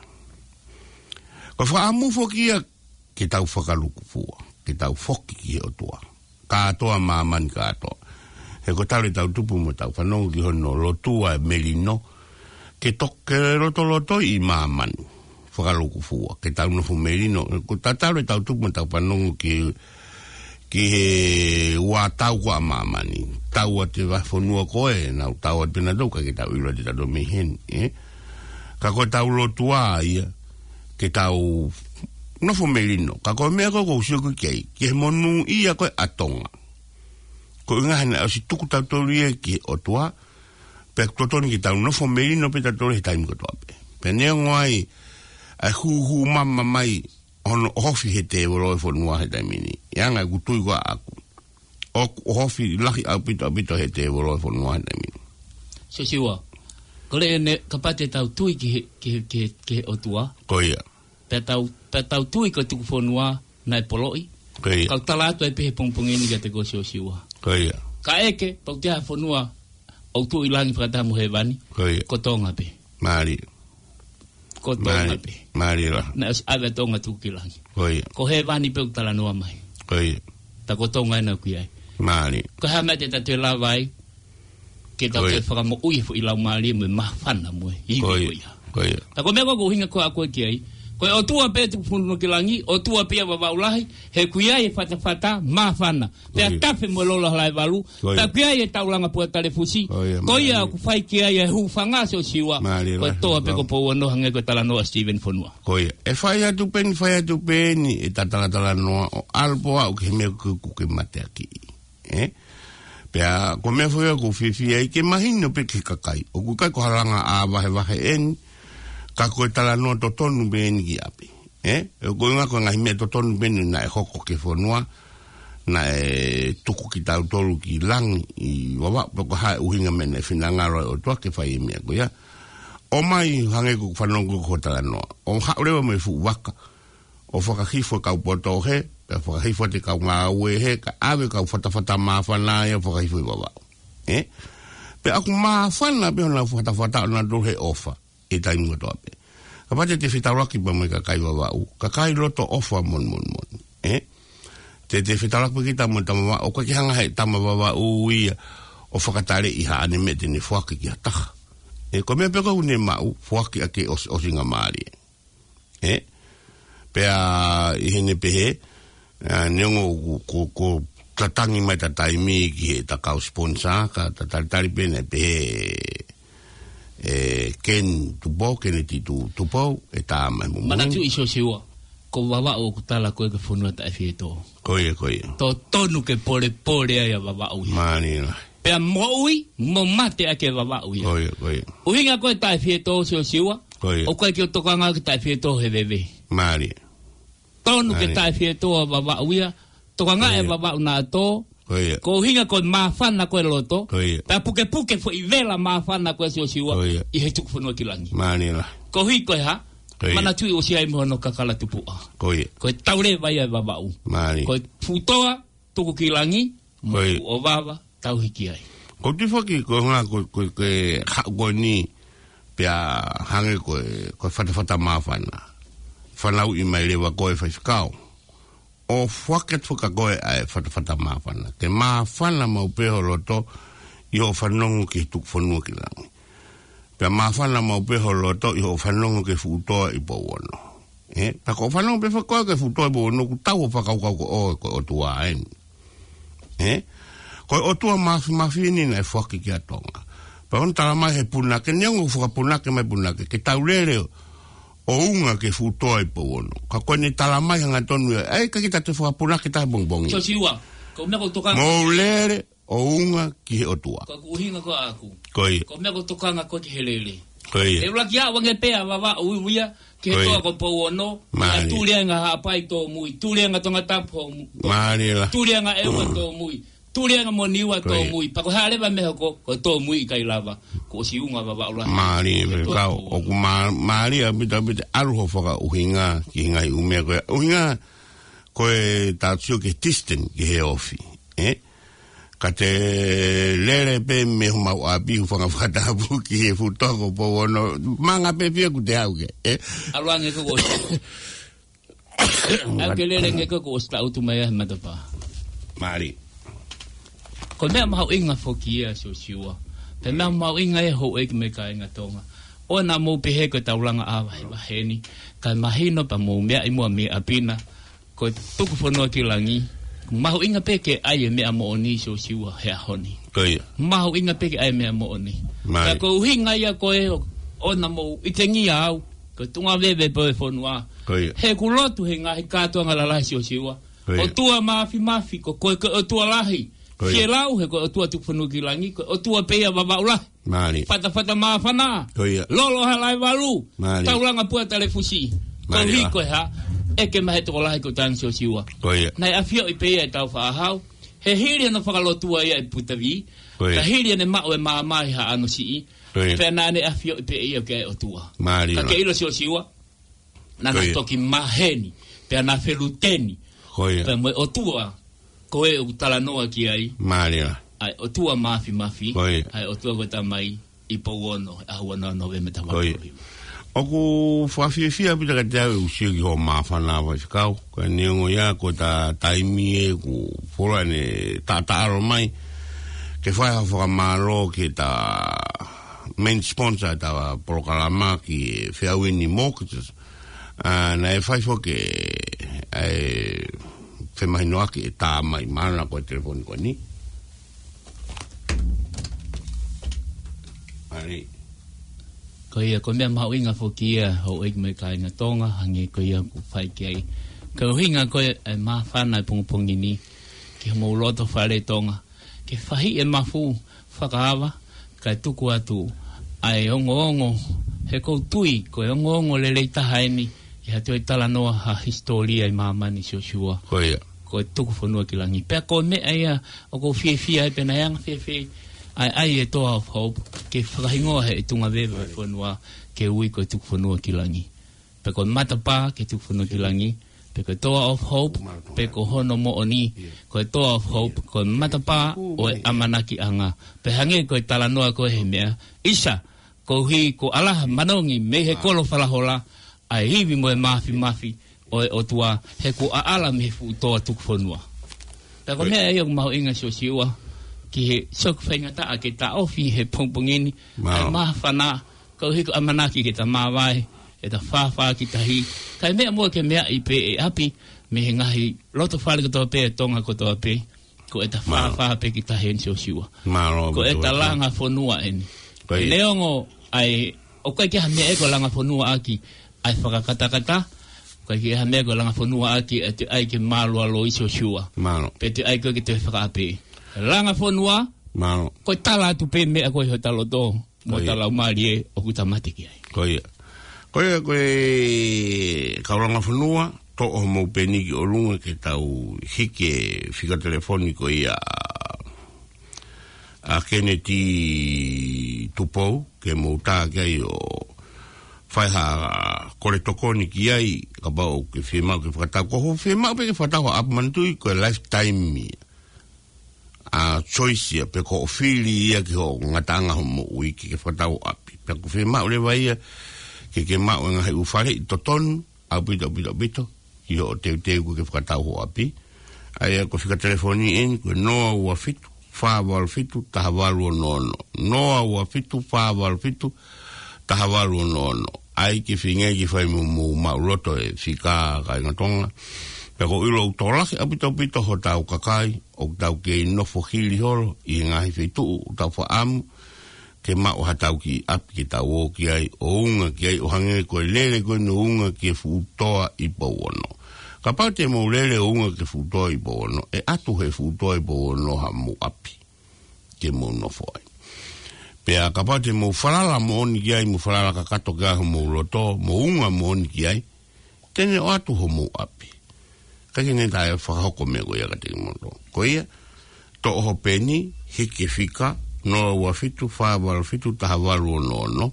Ko e fakaʻamu foki ia ke tau fakalūkufua, ke tau foki ki he ʻOtua. Kātoa māmani kātoa. He ko e talu ʻetau tupu mo tau fanongo ki hono lotua e melino. Ke toke lotolotoi ʻi māmani. Fakalūkufua. Ke tau nofo melino. Ko e talu ʻetau tupu mo tau fanongo ki, ki he ua tau ko ē ʻa māmani. Tau atu e vahefonua ko ē, nau tau atu pē nautolu ka ke tau ʻilo ʻe tautolu mei heni, ē? Ka ko ʻetau lotua ia, ke tau nofo melino. Ka ko e meʻa ko ē ʻoku ou sio ki ai, ki he monūʻia ko ē ʻa Tonga. Ko e ʻuhinga he naʻe ʻosi tuku tautolu ia ki he ʻOtua, pea ʻoku totonu ke tau nofo melino pē tautolu he taimi kotoa pē. Pea neongo ai, ʻa e hūhū mama mai, hono ʻohofi he tēvolo e fonua he taimi ni. ʻI he anga ʻeku tui ko ē ʻaʻaku. ʻOku ʻohofi lahi ʻaupito, ʻaupito he tēvolo e fonua he taimi ni. Siosiua, ko e lea eni, kapau te tau tui ki he, ki he, ki he, ki he ʻOtua. Ko ia. Pea tau, pea tau tui ko e tuku fonua naʻe poloʻi. Ko ia. Kau tala atu ai pē he pongipongi ni kiate koe Siosiua. Ko ia. Kae ʻeke, pau te ha fonua, ʻoku tuʻu ʻi langi fakataha mo hēvani. Ko ia. Ko Tonga pē. Mālie. Ko Tonga Mālie, pē. mālie lā. Naʻe ʻosi ʻave Tonga tuku ki langi. Ko ia. Ko hēvani pē ʻoku talanoa mai. Ko ia. Tā ko Tonga ena ʻoku ʻi ai. Mālie. Ko e hā e meʻa te ta toe lava ai, ke ta Ko ia. toe fakamoʻui e foʻi laumālie mo e māfana mo e ivi Ko ia. ko ia. Ko ia. Tā ko e meʻa ko ē ʻoku ou ʻuhinga ko ē ʻaʻaku ki ai. Ko e ʻOtua pē tuku fonua ki langi, ʻOtua pē ia Vavaʻu Lahi, he ʻoku ʻi ai e fatafata, māfana. Pea Ko ia. tafe mo e lola Halaevalu, Ko ia. pea ʻoku ʻi ai e taulanga Puatalefusi, Ko ia, ko ia mālie. ʻoku fai ki ai e hūfanga Siosiua, Mālie ko e lā, toa pē mālie. ko Pouono hangē ko e talanoa Steven Fonua. Ko ia. ʻE fai atu pē eni, fai atu pē eni, ʻeta talatalanoa ʻo ʻalu pē ʻo aʻu ki he meʻa ʻoku ke mateakiʻi. Ē? Pea, ko e meʻa foki ʻoku ou fiefia ai ke mahino pē ki he kakai. ʻOku ʻikai ko ha langa ʻā vahevahe eni, ka ko e talanoa totonu pē eni ki ʻapi. Ē? ʻOku ʻuhinga ko e ngaahi meʻa totonu pē eni naʻe hoko ki he fonua, naʻe tuku kitautolu ki langi ʻi Vavaʻu, pe ko e hā e ʻuhinga meʻa naʻe finangalo e ʻOtua ke fai e meʻa ko ia. ʻOmai hangē ko e fanongo ko e talanoa. ʻO haʻu leva mo e fuʻu vaka. ʻO fakahifo e kau poto hē, pea fakahifo atu e kau ngāue hē, kae ʻave e kau fatafata māfana ia ʻo fakahifo ʻi Vavaʻu. Ē? Pea ʻoku māfana pē honau fatafata ʻonautolu he ʻofa ʻi he taimi kotoa pē. Kapau te te fetaulaki pē mo e kakai Vavaʻu, kakai loto ʻofa moʻoni moʻoni moʻoni. Ē? Te te fetaulaki pē kita mo e tama Vavaʻu, ʻoku ʻikai ke hanga ʻe he tama Vavaʻu ia ʻo fakataleʻi haʻane meʻa te ne foaki ki ha taha. Ē, ko e meʻa pē ʻoku ne maʻu, foaki ʻaki ʻo, ʻo singa mālie. Ē? Pea ʻi heʻene pehē, ā, neongo ko, ko, ko e tatangi mai ʻeta taimi ki heʻeta kau sponsor, ka ta talitali pē naʻe pehē ʻe Ken Tupou, Keneti Tu-, Tupou, ʻe tā mai mo Manatu ʻi Siosiua, ko Vavaʻu ʻoku tala ko e ke fonua taʻefietō. Ko ia, ko ia. Totonu ke polepole ai ʻa Vavaʻu ia. Mālie lahi. Pea moʻui, mo mate ʻaki e Vavaʻu ia. Ko ia, ko ia. ʻUhinga ko e taʻefietō Siosiua, Ko ia. ʻOku ʻikai ke u tokanga ki he taʻefietō he veve. Mālie. Tonu ke Mālie. taʻefietō ʻa Vavaʻu ia. Tokanga Ko e ia. Vavaʻu naʻa tō. Ko ia. Ko e ʻuhinga ko e māfana ko e loto. Ko ia. Pea pukepuke foʻi vela māfana ko e Siosiua. Ko ia. ʻI he tuku fonua ki langi. Mālie lahi. Koeʻuhi ko e hā? Ko ia. Manatuʻi ʻosi ʻi ai mo hono kakala tupuʻa. Ko ia. Ko e tauleva ia ʻa Vavaʻu. Mālie. Ko e fuʻu toa, tuku ki langi, Ko ia. Moʻu ʻo vava, tauhi ki ai. Ko e tui foki ko e ngā ko, ko, ko e haʻu ko eni pea hangē ko e, ko e fatafata māfana. Fanauʻi mai leva ko e faifekau. ʻO foaki atu foki kia koe ʻa e fatafata māfana. Ke māfana maʻu pē ho loto ʻi hoʻo fanongo ki he tuku fonua ki langi. Pea māfana maʻu pē ho loto ʻi hoʻo fanongo ki he fuʻu toa ʻi Pouono. Ē, pea ko hoʻo fanongo pē foki ki he fuʻu toa ʻi Pouono ʻoku tau ʻo fakakaukau ko ʻoe ko e ʻOtua eni. Ē? Ko e ʻOtua māfimafi eni naʻe foaki kia Tonga. Pea ʻoku ne tala mai he punake, neongo ʻoku fakapunake mai punake, ke tau lele ʻo unga ki he fuʻu toa ʻi Pouono. Ka ko ʻene tala mai hangatonu ia, ʻai ka kita te fakapunake taha pongipongi. Siosiua, ko e meʻa ʻoku ou tokanga. Mou lele ʻo unga ki he ʻOtua. Ko e ʻuhinga ko ʻaku. Ko ia. Ko e meʻa ʻoku ou tokanga ko ē ki he lele. Ko ia. ʻE ʻuluaki aʻu ange pē ʻa Vavaʻu ia, ki he Ko ia. toa ko Pouono, Mālie. ʻa Tulianga Haʻapai Tōmui, Tulianga Tongatapu Homu-, Mālie lahi. Tulianga ʻEua Tōmui, Tulianga mo Niua Ko ia. Tōmui, pea ko e hā leva e meʻa hoko, ko e tōmui ʻikai lava, kuo ʻosi unga Vavaʻu lahi. Mālie, Ko e toa kau, Pouono. ʻOku mā-, mālie ʻaupito ʻaupito ʻalu hoʻo fakaʻuhinga, ki he ngaahi ʻū meʻa ko ia. ʻUhinga, ko e tautio ki he distant, ki he ofi. Ē? Ka te lele pē mei homau ʻapi hūfanga fakatapu ki he fuʻu toa ko Pouono. Manga pē pea kuo te aʻu ki ai, ē? ʻAlu ange ko ē kuo ʻosi. ʻAlu ke lele ange ko ē kuo ʻosi taʻutu mai ʻa e matapā. Mālie. Ko e meʻa mahuʻinga foki ia Siosiua. Pea meʻa mahuʻinga ē houʻeiki mo e kāinga Tonga. ʻOua naʻa mou pehē ko e taulanga ʻa vahevahe ni. Kae mahino pea mou meaʻi muʻa mei ʻapi na. Ko e tuku fonua ki langi, mahuʻinga pē ke ʻai e meʻa moʻoni Siosiua he ʻaho ni. Ko ia. Mahuʻinga pē ke ʻai e meʻa moʻoni. Mālie. Ka ko e ʻuhinga ia ko ē ʻo, ʻoua naʻa mou ʻitengia au, ko e tuʻunga veve pē ʻo e fonua. Ko ia. He ʻoku lotu he ngaahi kātoanga lalahi Siosiua. Ko ia. ʻOtua māfimafi, ko koe ko e ʻOtua lahi. Ko ia. Fielau he ko e ʻOtua tuku fonua ki langi, ko e ʻOtua pē ia Vavaʻu lahi. Mālie. Fatafata māfana. Ko ia. Lolo Halaevalu. Mālie. Taulanga Pua Talefusi. Mālie. Koeʻuhi ko e hā, ʻeke mai he tokolahi ko Tana Siosiua. Ko ia. Naʻe ʻafioʻi pē ia ʻe Tāufaʻāhau. He hili hono fakalotua ia ʻi Putavī. Ko ia. Ka hili ʻene maʻu e maama ʻi Haʻano Siʻi. Ko ia. Pea naʻa ne ʻafioʻi pē ia ke ʻOtua. Mālie. Ka ke ʻilo Siosiua. Naʻa na Ko ia. toki maheni, pea na feluteni. Ko ia. Pea mo e ʻOtua, ko ē ʻoku talanoa ki ai. Mālie. ʻA e ʻOtua māfimafi, Ko ia. ʻa e ʻOtua ko e Tamai, ʻi Pouono, ʻaho ua noa Nōvema taha valu tolu hiva. ʻOku fakafiefia ʻaupito kiate au ʻeku sio ki hoʻo māfana faifekau. Ko e neongo ia, ko ʻeta taimi ē kuo fuoloa ʻene taʻataʻalo mai. Ke fai ha fakamālō ki heʻeta main sponsor ʻeta polokalama ki he Feauini Mortgages. Ā, naʻe fai foki ʻa e femahinoʻaki ʻe tā mai mālō na ko e telefoni ko eni. Mālie. Ko ia, ko e meʻa mahuʻinga foki ia, houʻeiki mo e kāinga Tonga, hangē ko ia ʻoku fai ki ai. Ko e ʻuhinga ko ē ʻa e māfana ʻo e pongipongi ni, ki homou loto fale Tonga, ke fahiʻi e mafu fakaava, kae tuku atu ʻa e ongoongo, he ʻoku ou tui, ko e ongoongo lelei taha eni, ʻi ha toe talanoa ha hisitōlia ʻi māmani Siosiua. Ko ia. ko e Tuku Fonua ki Langi. Pea ko e meʻa ia ʻoku ou fiefia ai pea naʻe anga fēfē ai ʻa e Toa of Hope ke fakahingoa he ʻi Tonga veve fonua ke ui ko e Tuku Fonua ki Langi. Pea ko e matapā ke Tuku Fonua ki Langi. Pea ko e Toa of Hope, pea ko hono moʻoni, ko e Toa of Hope, ko e matapā ʻo e ʻamanakiʻanga. Pea hangē ko e talanoa ko ē he meʻa, ʻisa, koeʻuhi ko ʻAlaha Manongi mei he kolo Falahola, ʻa e ivi mo e mafimafi ʻo e ʻOtua, he ko ʻAlaha mei he fuʻu toa tuku fonua. Pea ko e meʻa ia ʻoku mahuʻinga Siosiua, ki he sio ki he faingataʻa ke taʻofi he pongipongi ni, ʻa e māfana, koeʻuhi ko e ʻamanaki ke ta māvae, ke ta fāfā ki tahi. Kae meʻa muʻa ke meaʻi pē ʻe ʻapi, mei he ngaahi loto fale kotoa pē, Tonga kotoa pē, ko ʻeta fāfā pē ki tahi eni Siosiua. Ko ʻeta langa fonua eni. Neongo ʻa e, ʻoku ʻikai ke ʻi ai ha meʻa ʻe ko e langa fonua ʻaki ʻa e fakakatakata, ʻoku ʻikai ke ʻi ai ha meʻa ʻe ko e langa fonua ʻaki ʻa e toe ʻai ke mālualoi Siosiua. Pea toe ʻai ko ē ke toe fakaʻapi. Langa fonua, ko e tala atu pē meʻa ko ē ʻi hota loto mo hota laumālie ʻoku ta mate ki ai. Ko ia. Ko ia, ko e kau langa fonua, toʻo homou peni ki ʻolunga ke tau hiki e fika telefoni ko ia ʻa Keneti Tupou, ke mou tā ki ai ʻo fai ha kole tokoni ki ai, kapau ʻoku ke fiemaʻu ke fakatau. Ko hoʻo fiemaʻu pē ke fakatau ha ʻapi, manatuʻi ko e lifetime ia. ʻA e choice ia, pe ko hoʻo fili ia ki hoʻo ngataʻanga hoʻo moʻui ke ke fakatau ʻapi. Pea ʻoku fiemaʻu leva ia ke ke maʻu e ngaahi ʻū faleʻi totonu, ʻaupito, ʻaupito, ʻaupito, ki hoʻo teuteu ko ē ke fakatau hoʻo ʻapi. ʻA ia ko e fika telefoni eni, ko e noa ua fitu, fā valu fitu, taha valu ono ono. Noa ua fitu, fā valu fitu, taha valu ono ono. ʻAi ke feinga ke fai mo, mo maʻuloto e fika, kāinga Tonga. Pea ʻoku ou ʻilo ʻoku tokolahi ʻaupito, ʻaupito hotau kakai ʻoku tau kei nofo hili holo ʻi he ngaahi feituʻu ʻoku tau fakaʻamu ke maʻu haʻatau kiʻi ʻapi ke tau ō ki ai, ʻo unga ki ai, ʻo hangē ko e lele ko eni ʻo unga ki he fuʻu toa ʻi Pouono. Kapau te mou lele ʻo unga ki he fuʻu toa ʻi Pouono, ʻe ʻatu he fuʻu toa ʻi Pouono haʻamou ʻapi ke mou nofo ai. Pea kapau te mou falala moʻoni ki ai, mou falala kakato ki ai homou loto, mou unga moʻoni ki ai, te ne ʻoatu homou ʻapi. ʻIkai ke ne toe fakahoko meʻa ko ia kiate kimoutolu. Ko ia, toʻo hoʻo peni, hiki e fika, noa ua fitu, fā valu fitu, taha valu ono ono,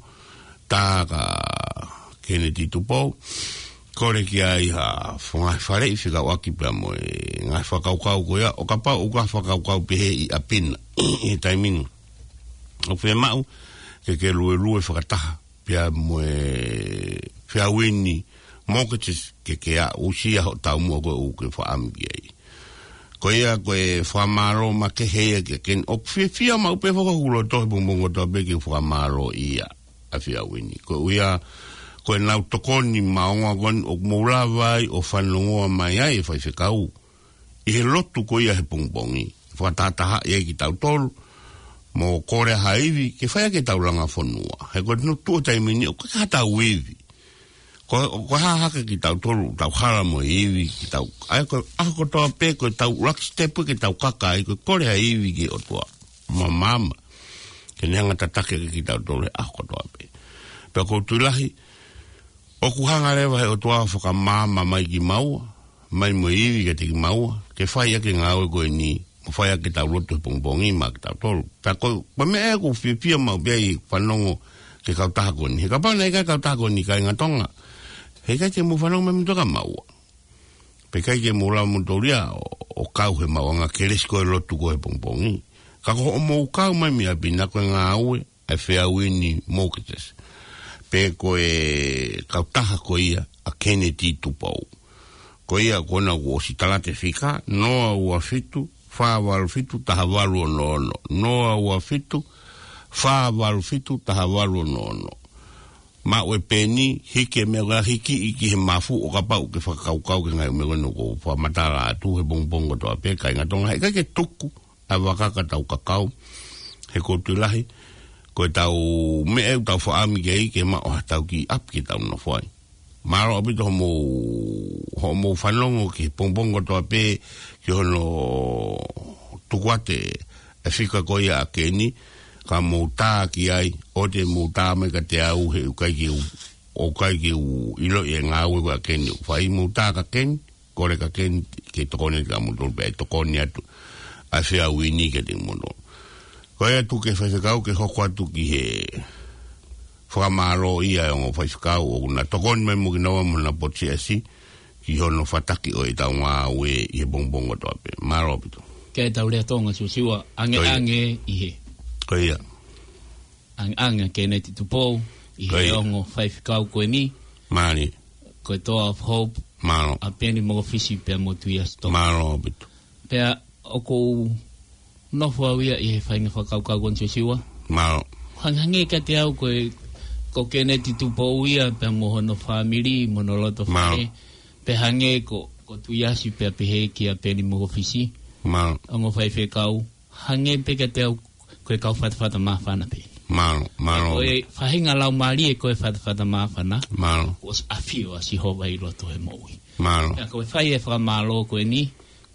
tā kia Keneti Tupou, kole ki ai ha fo-, ngaahi faleʻi fekauʻaki pea mo e ngaahi fakakaukau ko ia, ʻo kapau ʻoku ʻi ai ha fakakaukau pehē ʻi ʻapi na, ʻi he taimi ni ʻoku fiemaʻu ke ke luelue fakataha pea mo e Feauini Mortgages ke ke aʻusia hoʻo taumuʻa ko ē ʻoku ke fakaʻamu ki ai. Ko ia ko e fakamālō makehe ia ke ke, ʻoku fiefia maʻu pē foki hoku loto he pongipongi kotoa pē ke fakamālō ia ʻa Feauini. Koeʻuhi ko ʻenau tokoni maʻongoʻonga ko eni ʻoku mou lava ai ʻo fanongoa mai ai e faifekau ʻi he lotu ko ia he pongipongi, fakatahatahaʻi ai kitautolu, mo kole ha ivi ke fai ʻaki ʻetau langa fonua. He ko e tuʻu he taimi ni ʻoku ʻikai ke ʻi ai haʻatau ivi. Ko, ko e hā hake kitautolu, tau hala mo e ivi, kitautolu. ʻA ia ko e ʻaho kotoa pē, ko ʻetau lucky step ke tau kaka ai, ko e kole ha ivi ki he ʻOtua Māmani ke ne hanga ʻo tataki ʻaki kitautolu he ʻaho kotoa pē. Pea ʻoku ou tui lahi, ʻoku hanga leva he ʻOtua ʻo fakamaama mai kimaua, mai mo e ivi kiate kimaua, ke fai ʻaki e ngāue ko eni, mo fai ʻaki ʻetau lotu he pongipongi maʻa kitautolu. Pea ko, ko e meʻa ʻoku ou fiefia maʻu pē ai ʻi he fanongo ki he kautaha ko eni. He kapau naʻe ʻikai e kautaha ko eni, kāinga Tonga, heʻikai ke mou fanongo mai mei Tonga maua. Pea ʻikai ke mou lava moutolu ia ʻo, ʻo kau he maʻuʻanga kelesi ko e lotu ko ē he pongipongi. Ka ko hoʻomou kau mai mei ʻapi na ko e ngāue ʻa e Feauini Mortgages, pe ko e kautaha ko ia ʻa Keneti Tupou. Ko ia ko ena kuo ʻosi tala atu e fika, noa ua fitu, fā valu fitu, taha valu ono ono, noa ua fitu, fā valu fitu, taha valu ono ono. Maʻu e peni, hiki e meʻa ko ē, hiki ʻi ki he mafu ʻo kapau ʻoku ke fakakaukau ki he ngaahi meʻa ko ena kuo u fakamatala atu he pongipongi kotoa pē, kāinga Tonga, heʻikai ke tuku ʻa e vaka ka tau kakau. He ʻoku ou tui lahi, ko ʻetau meʻa ʻoku tau fakaʻamu ki ai ke maʻu haʻatau kiʻi ʻapi ke tau nofo ai. Mālō ʻaupito hoʻomou, hoʻomou fanongo ki he pongipongi kotoa pē ki hono tuku atu e fika ko ia ʻa Keni, ka mou tā ki ai, ʻoua te mou tā mai kiate au he ʻoku ʻikai ke u, ʻoku ʻikai ke u ʻiloʻi e ngāue ko ē ʻa Keni ʻoku fai, mou tā kia Keni, kole kia Keneti ke tokoni atu kia moutolu pea ʻe tokoni atu ʻa e feʻauhi ni kiate kimoutolu. Ko ia atu ki he faifekau ke hoko atu ki he fakamālō ia ʻa e ongo faifekau ʻoku na tokoni mai mo kinaua mo hona potu siasi ki hono fataki ʻo ʻetau ngāue ʻi he pongipongi kotoa pē. Mālō ʻaupito. Ke tau lea Tonga Siosiua, ange Ko ia. ange ʻi he. Ko ia. Ange ange Keneti Tupou, ʻi Ko he ia. ongo faifekau ko eni. Mālie. Ko e Toa of Hope. Mālō. ʻA Peni Mokofisi pea mo Tuiasi Tonga. Mālō ʻaupito. Pea ʻoku ou nofo au ia ʻi he faʻahinga fakakaukau ko eni Siosiua. Mālō. Hangehangē kiate au ko e, ko Keneti Tupou ia pea mo hono fāmili, mo hono loto Mālō. faʻē. Pea hangē ko, ko Tuiasi pea pehē kia Peni Mokofisi. Mālō. Ongo faifekau. Hangē pē kiate au ko e kau fatafata māfana pē. Mālō, mālō. Ko e faʻahinga laumālie ko e fatafata māfana. Mālō. Kuo ʻosi ʻafio ʻa Sihova ʻi loto he moʻui. Mālō. Pea ko e fai e fakamālō ko eni,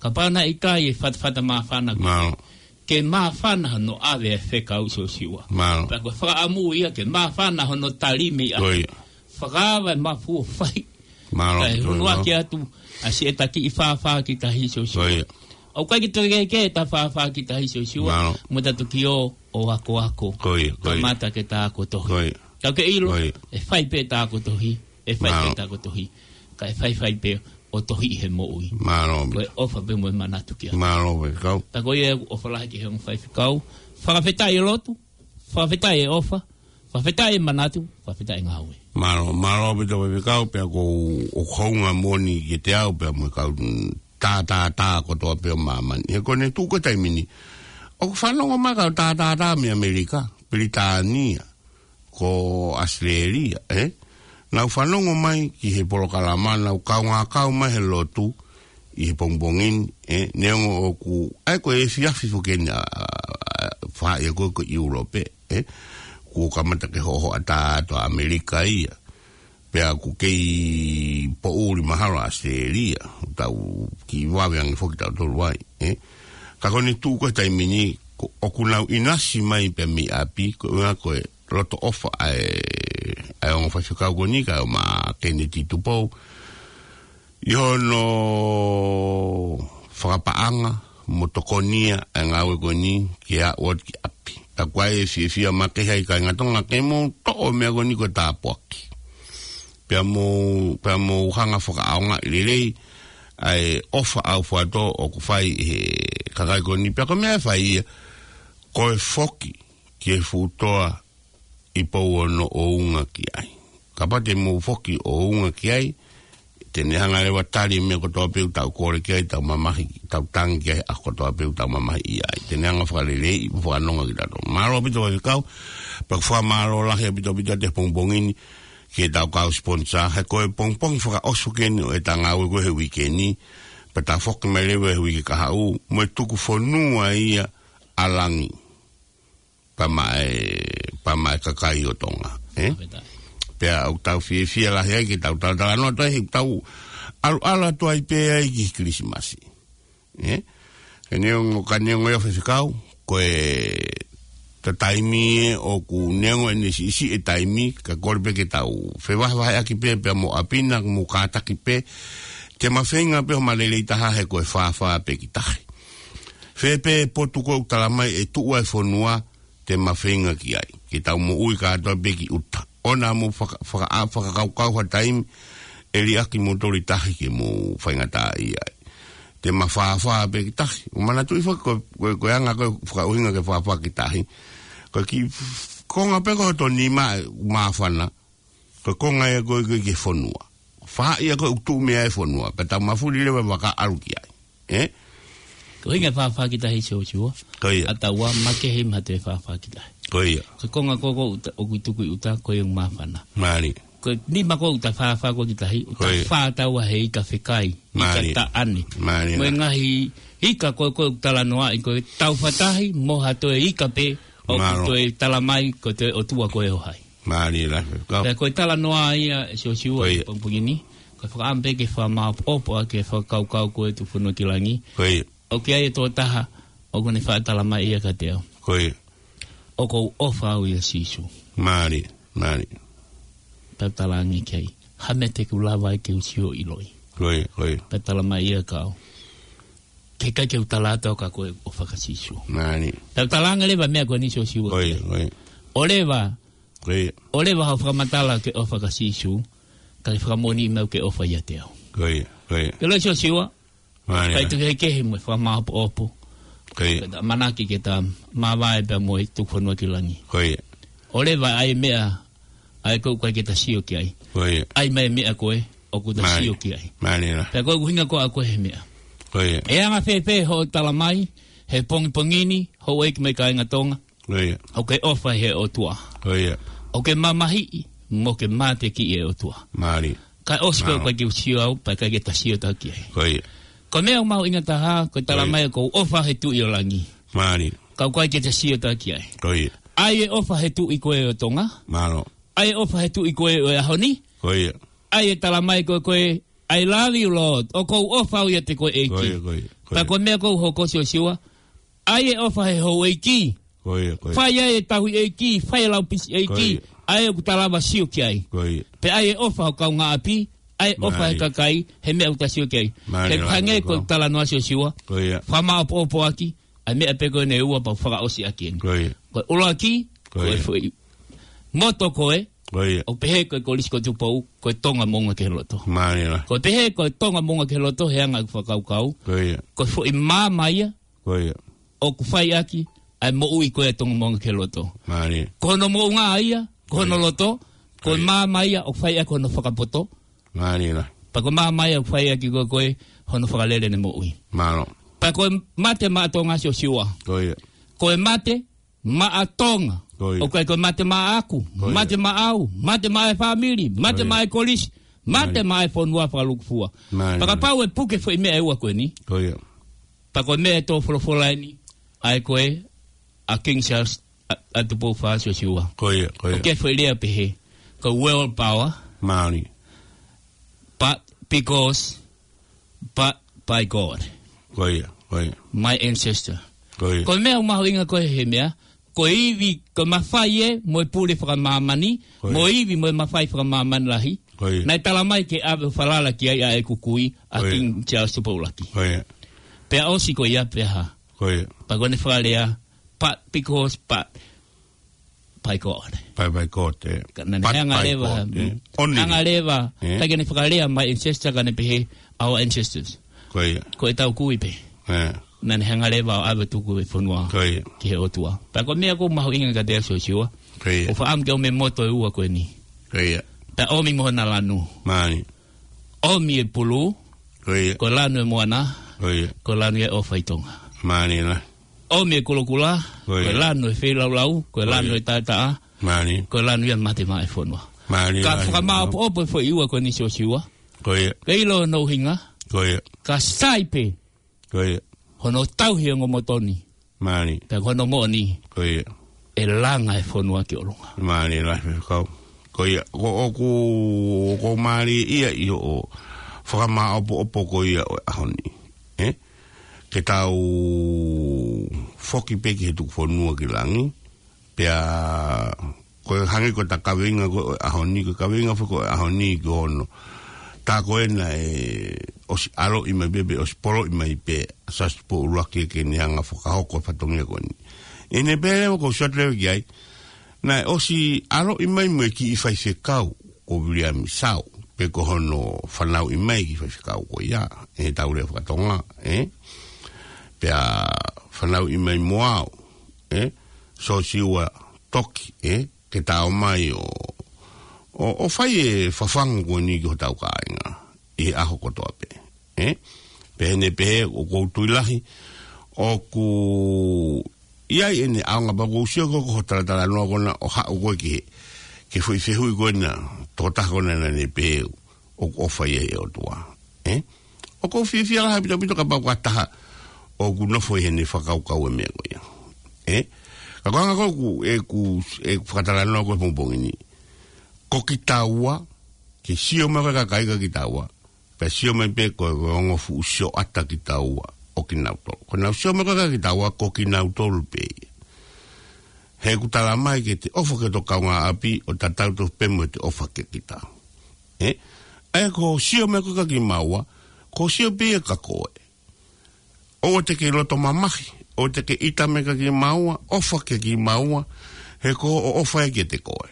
kapau naʻe ʻikai e fatafata māfana ko eni, Mālō. ke māfana hono ʻave e fekau Siosiua. Mālō. Pea ko e fakaʻamu ia ke māfana hono tali mei ʻapi. Ko ia. Fakaava e mafu ʻo fai. Mālō, Kae ʻaupito, hunu mālō. ake atu ʻa siʻeta kiʻi fāfā ki tahi Siosiua. Ko ia. ʻOku ʻikai ke toe kehekehe ʻeta fāfā ki tahi Siosiua. Mālō. Mo ʻeta toki ō ʻo akoako. Ko ia, ko ia. Kamata ke ta ako tohi. Ko ia. Ka ke ʻilo, Ko ia. ʻe fai pē ta ako tohi, ʻe fai pē Mālō. ta ako tohi. Kae faifai pē ʻo tohi he moʻui. Mālō. Ko e ʻofa pē mo e manatu kia. Mālō, faifekau. Pea ko ia ʻoku ʻofa lahi ki he ongo faifekau. Fakafetaʻi e lotu, fakafetaʻi e ʻofa, fakafetaʻi e manatu, fakafetaʻi e ngāue. Mālō, mālō ʻaupito faifekau, pea ʻoku ou hounga moʻoni kiate au, pea mo e kau tā, tā, tā kotoa pē ʻo māmani. He ko ʻene tuʻu ko e taimi ni. ʻOku fanongo mai kau tā, tā, tā mei ʻAmelika, Pilitānia, ko ʻAositelēlia, ē? Nau fanongo mai ki he polokalama, nau kaungā kau mai he lotu, ʻi he pongipongi ni, ē? Neongo ʻoku, ʻa ia ko e efiafi foki eni ʻa, ʻa, ʻa, faʻahi ko ē ko ʻIulope, ē? Kuo kamata ke hohoʻatā atu ʻa ʻAmelika ia. Pea ʻoku kei poʻuli mahalo ʻa ʻAositelēlia, tau kiʻi vave ange foki tautolu ai, ē? Ka ko ʻene tuʻu ko e taimi ni, ko, ʻoku nau ʻinasi mai pē mei ʻapi, ko e ʻuhinga ko e loto ʻofa ʻa e, ʻa e ongo faifekau ko eni, kae ʻumaʻā Keneti Tupou, ʻi hono fakapaʻanga mo tokonia ʻa e ngāue ko eni ke aʻu atu ki ʻapi. Ka ʻoku ʻi ai e fiefia makehe ʻa e kāinga Tonga ke mou toʻo e meʻa ko eni ko e tāpuaki. Pea mou, pea mou hanga fakaʻaongaʻi lelei ʻa e ʻofa ʻaufuatō ʻoku fai ʻe he kakai ko eni. Pea ko e meʻa ʻe fai ia, ko e foki ki he fuʻu toa ʻi Pouono ʻo unga ki ai. Kapau te mou foki ʻo unga ki ai, te ne hanga leva tali e meʻa kotoa pē ʻoku tau kole ki ai, tau mamahi, tau tangi ki ai, ʻa kotoa pē ʻoku tau mamahi ʻi ai. Te ne hanga fakaleleiʻi mo fakanonga kitautolu. Mālō ʻaupito faifekau, pea ʻoku ou fakamālō lahi ʻaupito ʻaupito atu he pongipongi ni, ki heʻetau kau sponsor, he ko e pongipongi fakaʻosi ko eni ʻo ʻeta ngāue ko ē he uike ni, pea ta foki mai leva he uike kahaʻu, mo e tuku fonua ia ʻa langi. Pea maʻa e, pea maʻa e kakai ʻo Tonga, ē? Fakafetaʻi. Pea ʻoku tau fiefia lahi ai ke tau talatalanoa atu ai, he tau ʻalu, ʻalu atu ai pē ai ki he Kilisimasi. Ē? Ka neongo, ka neongo ia faifekau, ko e ta taimi ē ʻoku neongo ʻene siʻisiʻi e taimi, ka kole pē ke tau fevahevaheʻaki pē, pea mo ʻapi na, mo kātaki pē, te ma feinga pē ʻo ma lelei taha he ko e fāfā pē ki tahi. Fē pē potu ko ē ʻoku tala mai ʻe tuʻu ai e fonua, te ma feinga ki ai. Ke tau moʻui kātoa pē ki ʻuta. ʻOua naʻa mou faka-, faka-, ʻa, fakakaukau ha taimi, ʻe liʻaki moutolu ʻi tahi ke mou faingataʻaʻia ai. Te ma fāfā pē ki tahi. ʻOku manatuʻi foki ko, ko, ko e anga ko e fakaʻuhinga ke fāfā ki tahi. Ko e kiʻi f-, konga pē ko hoto nima ʻe māfana. Ko e konga ia ko ē ki he fonua. Faʻahi ia ko ē ʻoku tuʻu mei ai e fonua. Pea tau mafuli leva e vaka ʻalu ki ai. Ē? Ko e ʻuhinga e fāfā ki tahi Siosiua. Ko ia. ʻA taua makehe maʻa e fāfā ki tahi. Ko ia. Ko e konga ko ē ʻoku ta-, ʻoku tuku ʻi ʻuta ko e māfana. Mālie. Ko e nima ko ē ʻoku ta fāfā ko ē ki tahi, ʻoku ta Ko ia. fā taua he ika fekai, ika Mālie. taʻane. Mālie Mo e la. ngaahi ika ko ē ʻoku talanoaʻi ko e tau fakataha, mo ha toe ika pē, ʻoku Mālō. toe tala mai ko e toe ʻOtua ko ē ʻo hai. Mālie la, kau. Pea ko e talanoa ia ʻe Siosiua Ko ia. he pongipongi ni, ko e fakaʻamu pē ke fakamāʻopoʻopo ʻaki e fakakaukau ko ē tuku fonua ki langi. Ko ia. ʻOku ʻi ai e tokotaha, ʻoku ne faʻa tala mai ia kiate au. Ko ia. ʻOku ou ʻofa au ʻia Sīsū. Mālie, mālie. Pea u talaange ki ai, ha meʻa te u lava ai ke u sio ʻiloʻi. Ko ia, ko ia. Pea tala mai ia kia au, ʻikai ke u tala atu au kia koe ʻofa kia Sīsū. Mālie. Pea u talaange leva e meʻa ko eni Siosiua. Ko ia, ko ia. ʻOleva, ko ia, ʻoleva haʻo fakamatala ke ʻofa kia Sīsū, kae fakamoʻoni mai ke ʻofa ʻiate au. Ko ia, ko ia. Ke loi Siosiua, Mālie. Kae tuku kehekehe mo e fakamāʻopoʻopo. Ko ia. Ke ta ʻamanaki ke ta māvae pea mo e tuku fonua ki langi. Ko ia. ʻOleva ʻa e meʻa ʻa ē ʻoku ʻikai ke ta sio ki ai. Ko ia. ʻAi mai e meʻa ko ē ʻoku ta, Mālie, sio ki ai. Mālie. Pea ko e ʻuhinga ko ē ʻa ko ē he meʻa. Ko ia. ʻE anga fēfē hoʻo tala mai he pongipongi ni, houʻeiki mo e kāinga Tonga, Ko ia. ʻOku ke ʻofa he ʻOtua. Ko ia. ʻOku ke mamahiʻi mo ke mateakiʻi e ʻOtua. Mālie. Kae ʻosi pē, Mālie, ʻoku ʻikai ke u sio au, pea ʻikai ke ta sio taha ki ai. Ko ia. Ko e meʻa ʻoku mahuʻinga taha, ko e tala, Ko ia, mai ʻoku ou ʻofa he Tuʻi ʻo langi. Mālie. Ka ʻoku ʻikai ke ta sio taha ki ai. Ko ia. ʻAi e ʻofa he tuʻi ko ē ʻo Tonga. Mālō. ʻAi e ʻofa he tuʻi ko ē ʻo e ʻaho ni. Ko ia. ʻAi e tala mai ko ē ko ē, "I love you, Lord." ʻOku ou ʻofa au ʻiate koe ʻEiki. Ko ia, ko ia, ko ia. Pea ko e meʻa ʻoku ou hoko Siosiua, ʻai e ʻofa he houʻeiki. Ko ia, ko ia. Fai ai e tauhi ʻeiki, fai e laupisi ʻeiki. Ko ia. ʻA ē ʻoku ta lava sio ki ai. Ko ia. Pea ʻai e ʻofa ho kaungāʻapi, ʻai e ʻofa he, Mālie, kakai, he meʻa ʻoku ta sio ki ai. Mālie. Ke hangē ko e talanoa Siosiua. Ko ia. Fakamāʻopoʻopo ʻaki ʻa e meʻa pē ko eni ʻe ua pea u fakaʻosi ʻaki eni. Ko ia. Ko e ʻuluaki, Ko ia. ko e foʻi moto ko ē, Ko ia. ʻo pehē ko e Kolisi ko Tupou, ko e Tonga Moʻunga ki he Loto. Mālie. Ko e pehē ko e Tonga Moʻunga ki he Loto, he anga ʻeku fakakaukau. Ko ia. Ko e foʻi maama ia, Ko ia. ʻoku fai ʻaki ʻa e moʻui ko ē ʻa e Tonga Moʻunga ki he Loto. Mālie. Ko hono moʻunga ia, ko hono, Ko ia. loto, ko e, Ko ia. maama ia ʻoku fai ʻaki hono fakapoto. Mālie. Pea ko e maama ia ʻoku fai ʻaki ko ē ko ē hono fakalele ʻene moʻui. Mālō. Pea ko e mate maʻa Tonga Siosiua. Ko ia. Ko e mate maʻa Tonga. Ko ia. ʻOku ʻikai ko e mate maʻaku, Ko ia. mate maʻau, mate maʻa e fāmili, mate Ko ia. maʻa e kolisi, mate Mālie. maʻa e fonua fakalūkufua. Mālie. Pea kapau ʻe puke foʻi meʻa ʻe ua ko eni. Ko ia. Pea ko e meʻa ʻe tō folofola eni, ʻa ē ko ē ʻa King Charles ʻa, ʻa Tupou Fā Siosiua. Ko ia, ko ia. ʻOku ʻi ai e foʻi lea pehē, ko e world power. Mālie. But because, but by God. Ko ia, ko ia. My ancestor. Ko ia. Ko e meʻa ʻoku mahuʻinga ko ē he meʻa, ko e ivi, ko e mafai ē, mo e pule fakamāmani, Ko ia. mo e ivi, mo e mafai fakamāmani lahi. Ko ia. Naʻe tala mai ke ʻave ʻo falala ki ai ʻa ʻeku kui, ʻa Ko ia. King Charles Tupou ʻUluaki. Ko ia. Pea ʻosi ko ia pea hā. Ko ia. Pea ko ʻene fakalea, but because, but by God. By, by God, ē. Ka naʻa ne But hanga by leva, God, ē. Only. hanga leva, Ē. ʻikai ke ne fakalea my ancestor ka ne pehē our ancestors. Ko ia. Ko ʻetau kui pē. Ē. Naʻa ne hanga leva ʻo ʻave ʻo tuku e fonua Ko ia. ki he ʻOtua. Pea ko e meʻa ʻoku mahuʻinga kiate au Siosiua. Ko ia. ʻOku ou fakaʻamu ke ʻomi e moto ʻe ua ko eni. Ko ia. Pea ʻomi mo hona lanu. Mālie. ʻOmi e pulu, Ko ia. ko e lanu e moana, Ko ia. ko e lanu ia e ʻofa ʻi Tonga. Mālie. ʻOmi e kulokula, Ko ia. ko e lanu e feilaulau, ko e Ko lanu ia. e taʻataʻa, Mālie. ko e lanu ia e mate maʻa e fonua. Mālie. Ka fakamāʻopoʻopo e foʻi ua ko eni Siosiua. Ko ia. Ke ʻilo hono ʻuhinga. Ko ia. Ka sai pē Ko ia. hono tauhi e ongo moto ni. Mālie. Pea ko hono moʻoni. Ko ia. ʻE langa e fonua ki ʻolunga. Mālie lahi Faifekau. Ko ia, ko ʻoku, ʻoku mālie ia ʻi hoʻo fakamāʻopoʻopo ko ia ʻo e ʻaho ni. Ē? Ke tau foki pē ki he tuku fonua ki langi. Pea, ko e hangē ko ʻeta kaveinga ko ē ʻo e ʻaho ni, ko e kaveinga foki ko ē ʻo e ʻaho ni ko hono. Tā ko ena ʻe ʻosi ʻaloʻi mai pē, pe ʻosi poloʻi mai pē, ʻa Siaosi Tupou ʻUluaki ke ne hanga ʻo fakahoko e fatongia ko eni. ʻI heʻene pehē leva ʻoku ou sio atu leva ki ai. Naʻe ʻosi ʻaloʻi mai mo e kiʻi faifekau, ko Viliami Sāu, pe ko hono fanauʻi mai kiʻi faifekau ko ia, ʻe tau lea fakatonga, ē? Pea fanauʻi mai mo au, ē? Siosiua Toki, ē? Ke ta ō mai ʻo, ʻo, ʻo fai e fafanga ko eni ki hotau kāinga, ʻi he ʻaho kotoa pē, ē? Pea ʻi heʻene pehē ʻoku ou tui lahi, ʻoku ʻi ai ʻene ʻaonga pea ʻoku ou sio ko ē ko hoʻo talatalanoa ko ena ʻo haʻu ko ē ki he, ki he foʻi fehuʻi ko ena, tokotaha ko ena naʻa ne pehē ʻoku ʻofa ia he ʻOtua. Ē? ʻOku ou fiefia lahi ʻaupito ʻaupito kapau ko ha taha ʻoku nofo ʻi heʻene fakakaukau e meʻa ko ia. Ē? Ka ko e anga ko ē ʻeku, ʻeku, ʻeku fakatalanoa ko ē he pongipongi ni. Ko kitaua, ke sio mai ko ē kakai kia kitaua. Pea sio mai pē ko e, ko e ongo fuʻu sioʻata kitaua ʻo kinautolu. Ko ʻenau sio mai ko ē kia kitaua ko kinautolu pē ia. He ʻoku tala mai ke te ʻofa ki hoto kaungāʻapi ʻo tatau tofu pē mo ʻete ʻofa kia kita. Ē? ʻA ia ko hoʻo sio mai ko ē kia kimaua, ko hoʻo sio pē ia kia koe. ʻOua te ke loto mamahi, ʻoua te ke ʻita mai kia kimaua, ʻofa kia kimaua, he ko hoʻo ʻofa ia kiate koe.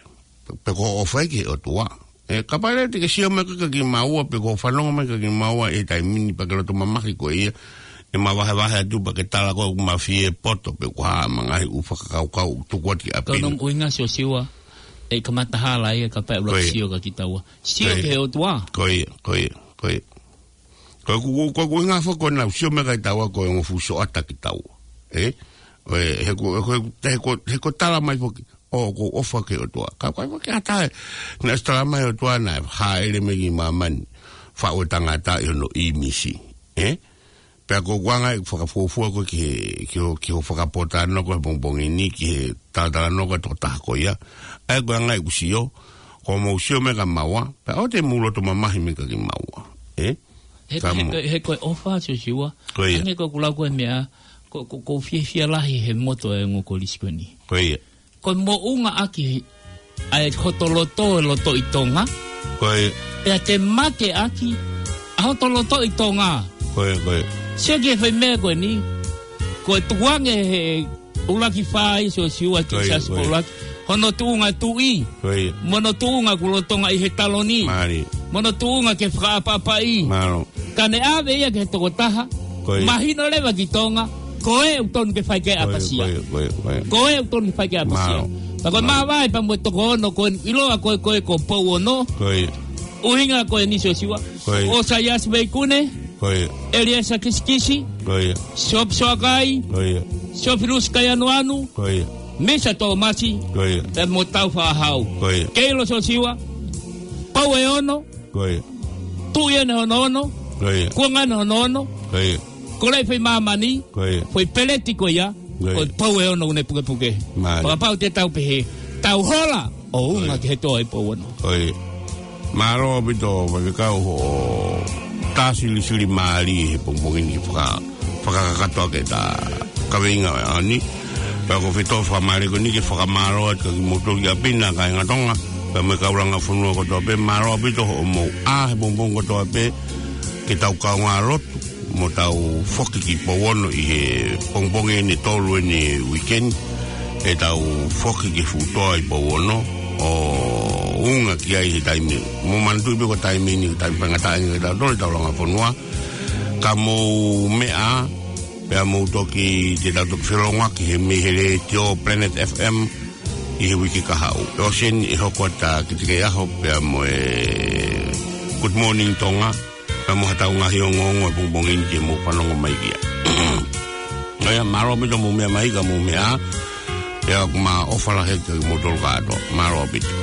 Pe ko hoʻo ʻofa ia ki he ʻOtua. ʻE, kapau leva te ke sio mai ko ē kia kimaua, pe ko hoʻo fanongo mai kia kimaua, ʻi he taimi ni pea ke loto mamahi koe ia, ʻe mavahevahe atu pea ke tala ko ē ʻoku mafie poto, pe ko e hā e ngaahi ʻū fakakaukau ʻoku tuku atu ki ʻapi ni. Ko hono ʻuhinga Siosiua, ʻe kamata hala ia kapau ʻe ʻuluaki sio kia kitaua. Sio ki he ʻOtua. Ko ia, ko ia, ko ia. Ko ʻeku, ko ʻeku ʻuhinga foki ko ʻenau sio mai kia kitaua ko e ongo fuʻu sioʻata kitaua. ʻE? ʻOe, he ko, he ko, he ko, he ko e tala mai foki, ʻoku ou ʻofa ki he ʻOtua. Ka ko e foki ʻa e taha, naʻe ʻosi tala mai ʻOtua naʻe hāʻele mai ki māmani, faʻu e tangata ʻi hono ʻīmisi. ʻE? Pea ko ʻeku anga ʻeku fakafuofua ko ē ki he, ki ho, ki hoʻo fakapōtalanoa ko ē he pongipongi ni, ki he talatalanoa ko ē ʻa e tokotaha ko ia. ʻA ia ko e anga ʻeku sio, ko hoʻomou sio mai kia kimaua, pea ʻoua te mou loto mamahi mai kia kimaua. ʻE? He ko, he ko, he ko e ʻofa Siosiua. Ko ia. Hangē ko ʻeku lau ko ē meʻa, ko, ko, ʻoku ou fiefia lahi he moto ʻa e ongo kolisi ko eni. Ko ia. Ko e moʻunga ʻaki ʻa e hoto loto, e lotoʻi Tonga. Ko ia. Pea te make ʻaki ʻa hoto lotoʻi Tonga. Ko ia, ko ia. Sio ki he foʻi meʻa ko eni. Ko e tukuange he ʻuluaki fā ia Siosiua ki he siasi ko ē ʻuluaki. Hono tuʻunga tuʻi. Ko ia. Mo hono tuʻunga kuo lolotonga ʻi he taloni. Mālie. Mo hono tuʻunga ke fakaʻapaʻapaʻi. Mālō. Ka ne ʻave ia ki he tokotaha. Ko ia. Mahino leva ki Tonga. Ko ē ʻoku tonu ke fai ki ai ʻapasia. Ko ia, ko ia, ko ia. Ko ē ʻoku tonu ke fai ki ai ʻapasia. Mālō. Pea ko e māvae pea mo e toko ono ko ē ʻiloa ko ē ko ē ko Pouono. Ko ia. ʻUhinga ko eni Siosiua. Ko ia. ʻOsaiasi Veikune. Ko ia. ʻEliesa Kisikisi. Ko ia. Siope Soakai. Ko ia. Siofilusi Kaianuanu. Ko ia. Misa Tōmasi. Ko ia. Pea mo Tau Faʻahau. Ko ia. Keilo Siosiua. Pouono. Ko ia. Tuʻi ʻeni hono ono. Ko ia. Kuonga ʻeni hono ono. Ko ia. Ko e foʻi māmani. Ko ia. Foʻi peleti ko ia. Ko ia. Ko e Pouono ʻoku ne pukepuke. Mālie. Fakapapau te tau pehē. Tau hola. ʻO unga ki he toa ʻi Pouono. Ko ia. Mālō ʻaupito, faifekau hoʻo tā silisili mālie he pongipongi ni faka-, fakakakato ʻaki ʻeta kaveinga ʻo e ʻaho ni. Pea ko e fetuʻu fakamālie ko eni ke fakamālō atu kia kimoutolu ki ʻapi na kāinga Tonga. Pea mo e kau langa fonua kotoa pē, mālō ʻaupito hoʻomou ʻā he pongipongi kotoa pē, ke tau kaungā lotu. Mo tau foki ki Pouono ʻi he pongipongi ʻeni ʻe tolu ʻeni weekend, ʻe tau foki ki he fuʻu toa ʻi Pouono, ʻo unga ki ai he taimi. Mou manatuʻi pē ko e taimi ni, taimi faingataʻa ʻeni ke tau tole tau langa fonua. Ka mou meʻa, pea mou toki, te tau toki felongoaki he mei he letiō Planet F M ʻi he uike kahaʻu. ʻE ʻosi ʻeni ʻe hoko atu ʻa e Kitekeiʻaho pea mo e Good Morning Tonga. Pea mo haʻatau ngaahi ongoongo he pongipongi ni ke mou fanongo mai ki ai. ʻA ia, mālō ʻaupito mou meʻa mai ka mou meʻa. Pea ʻoku ma ʻofa lahi kia kimoutolu kātoa. Mālō ʻaupito.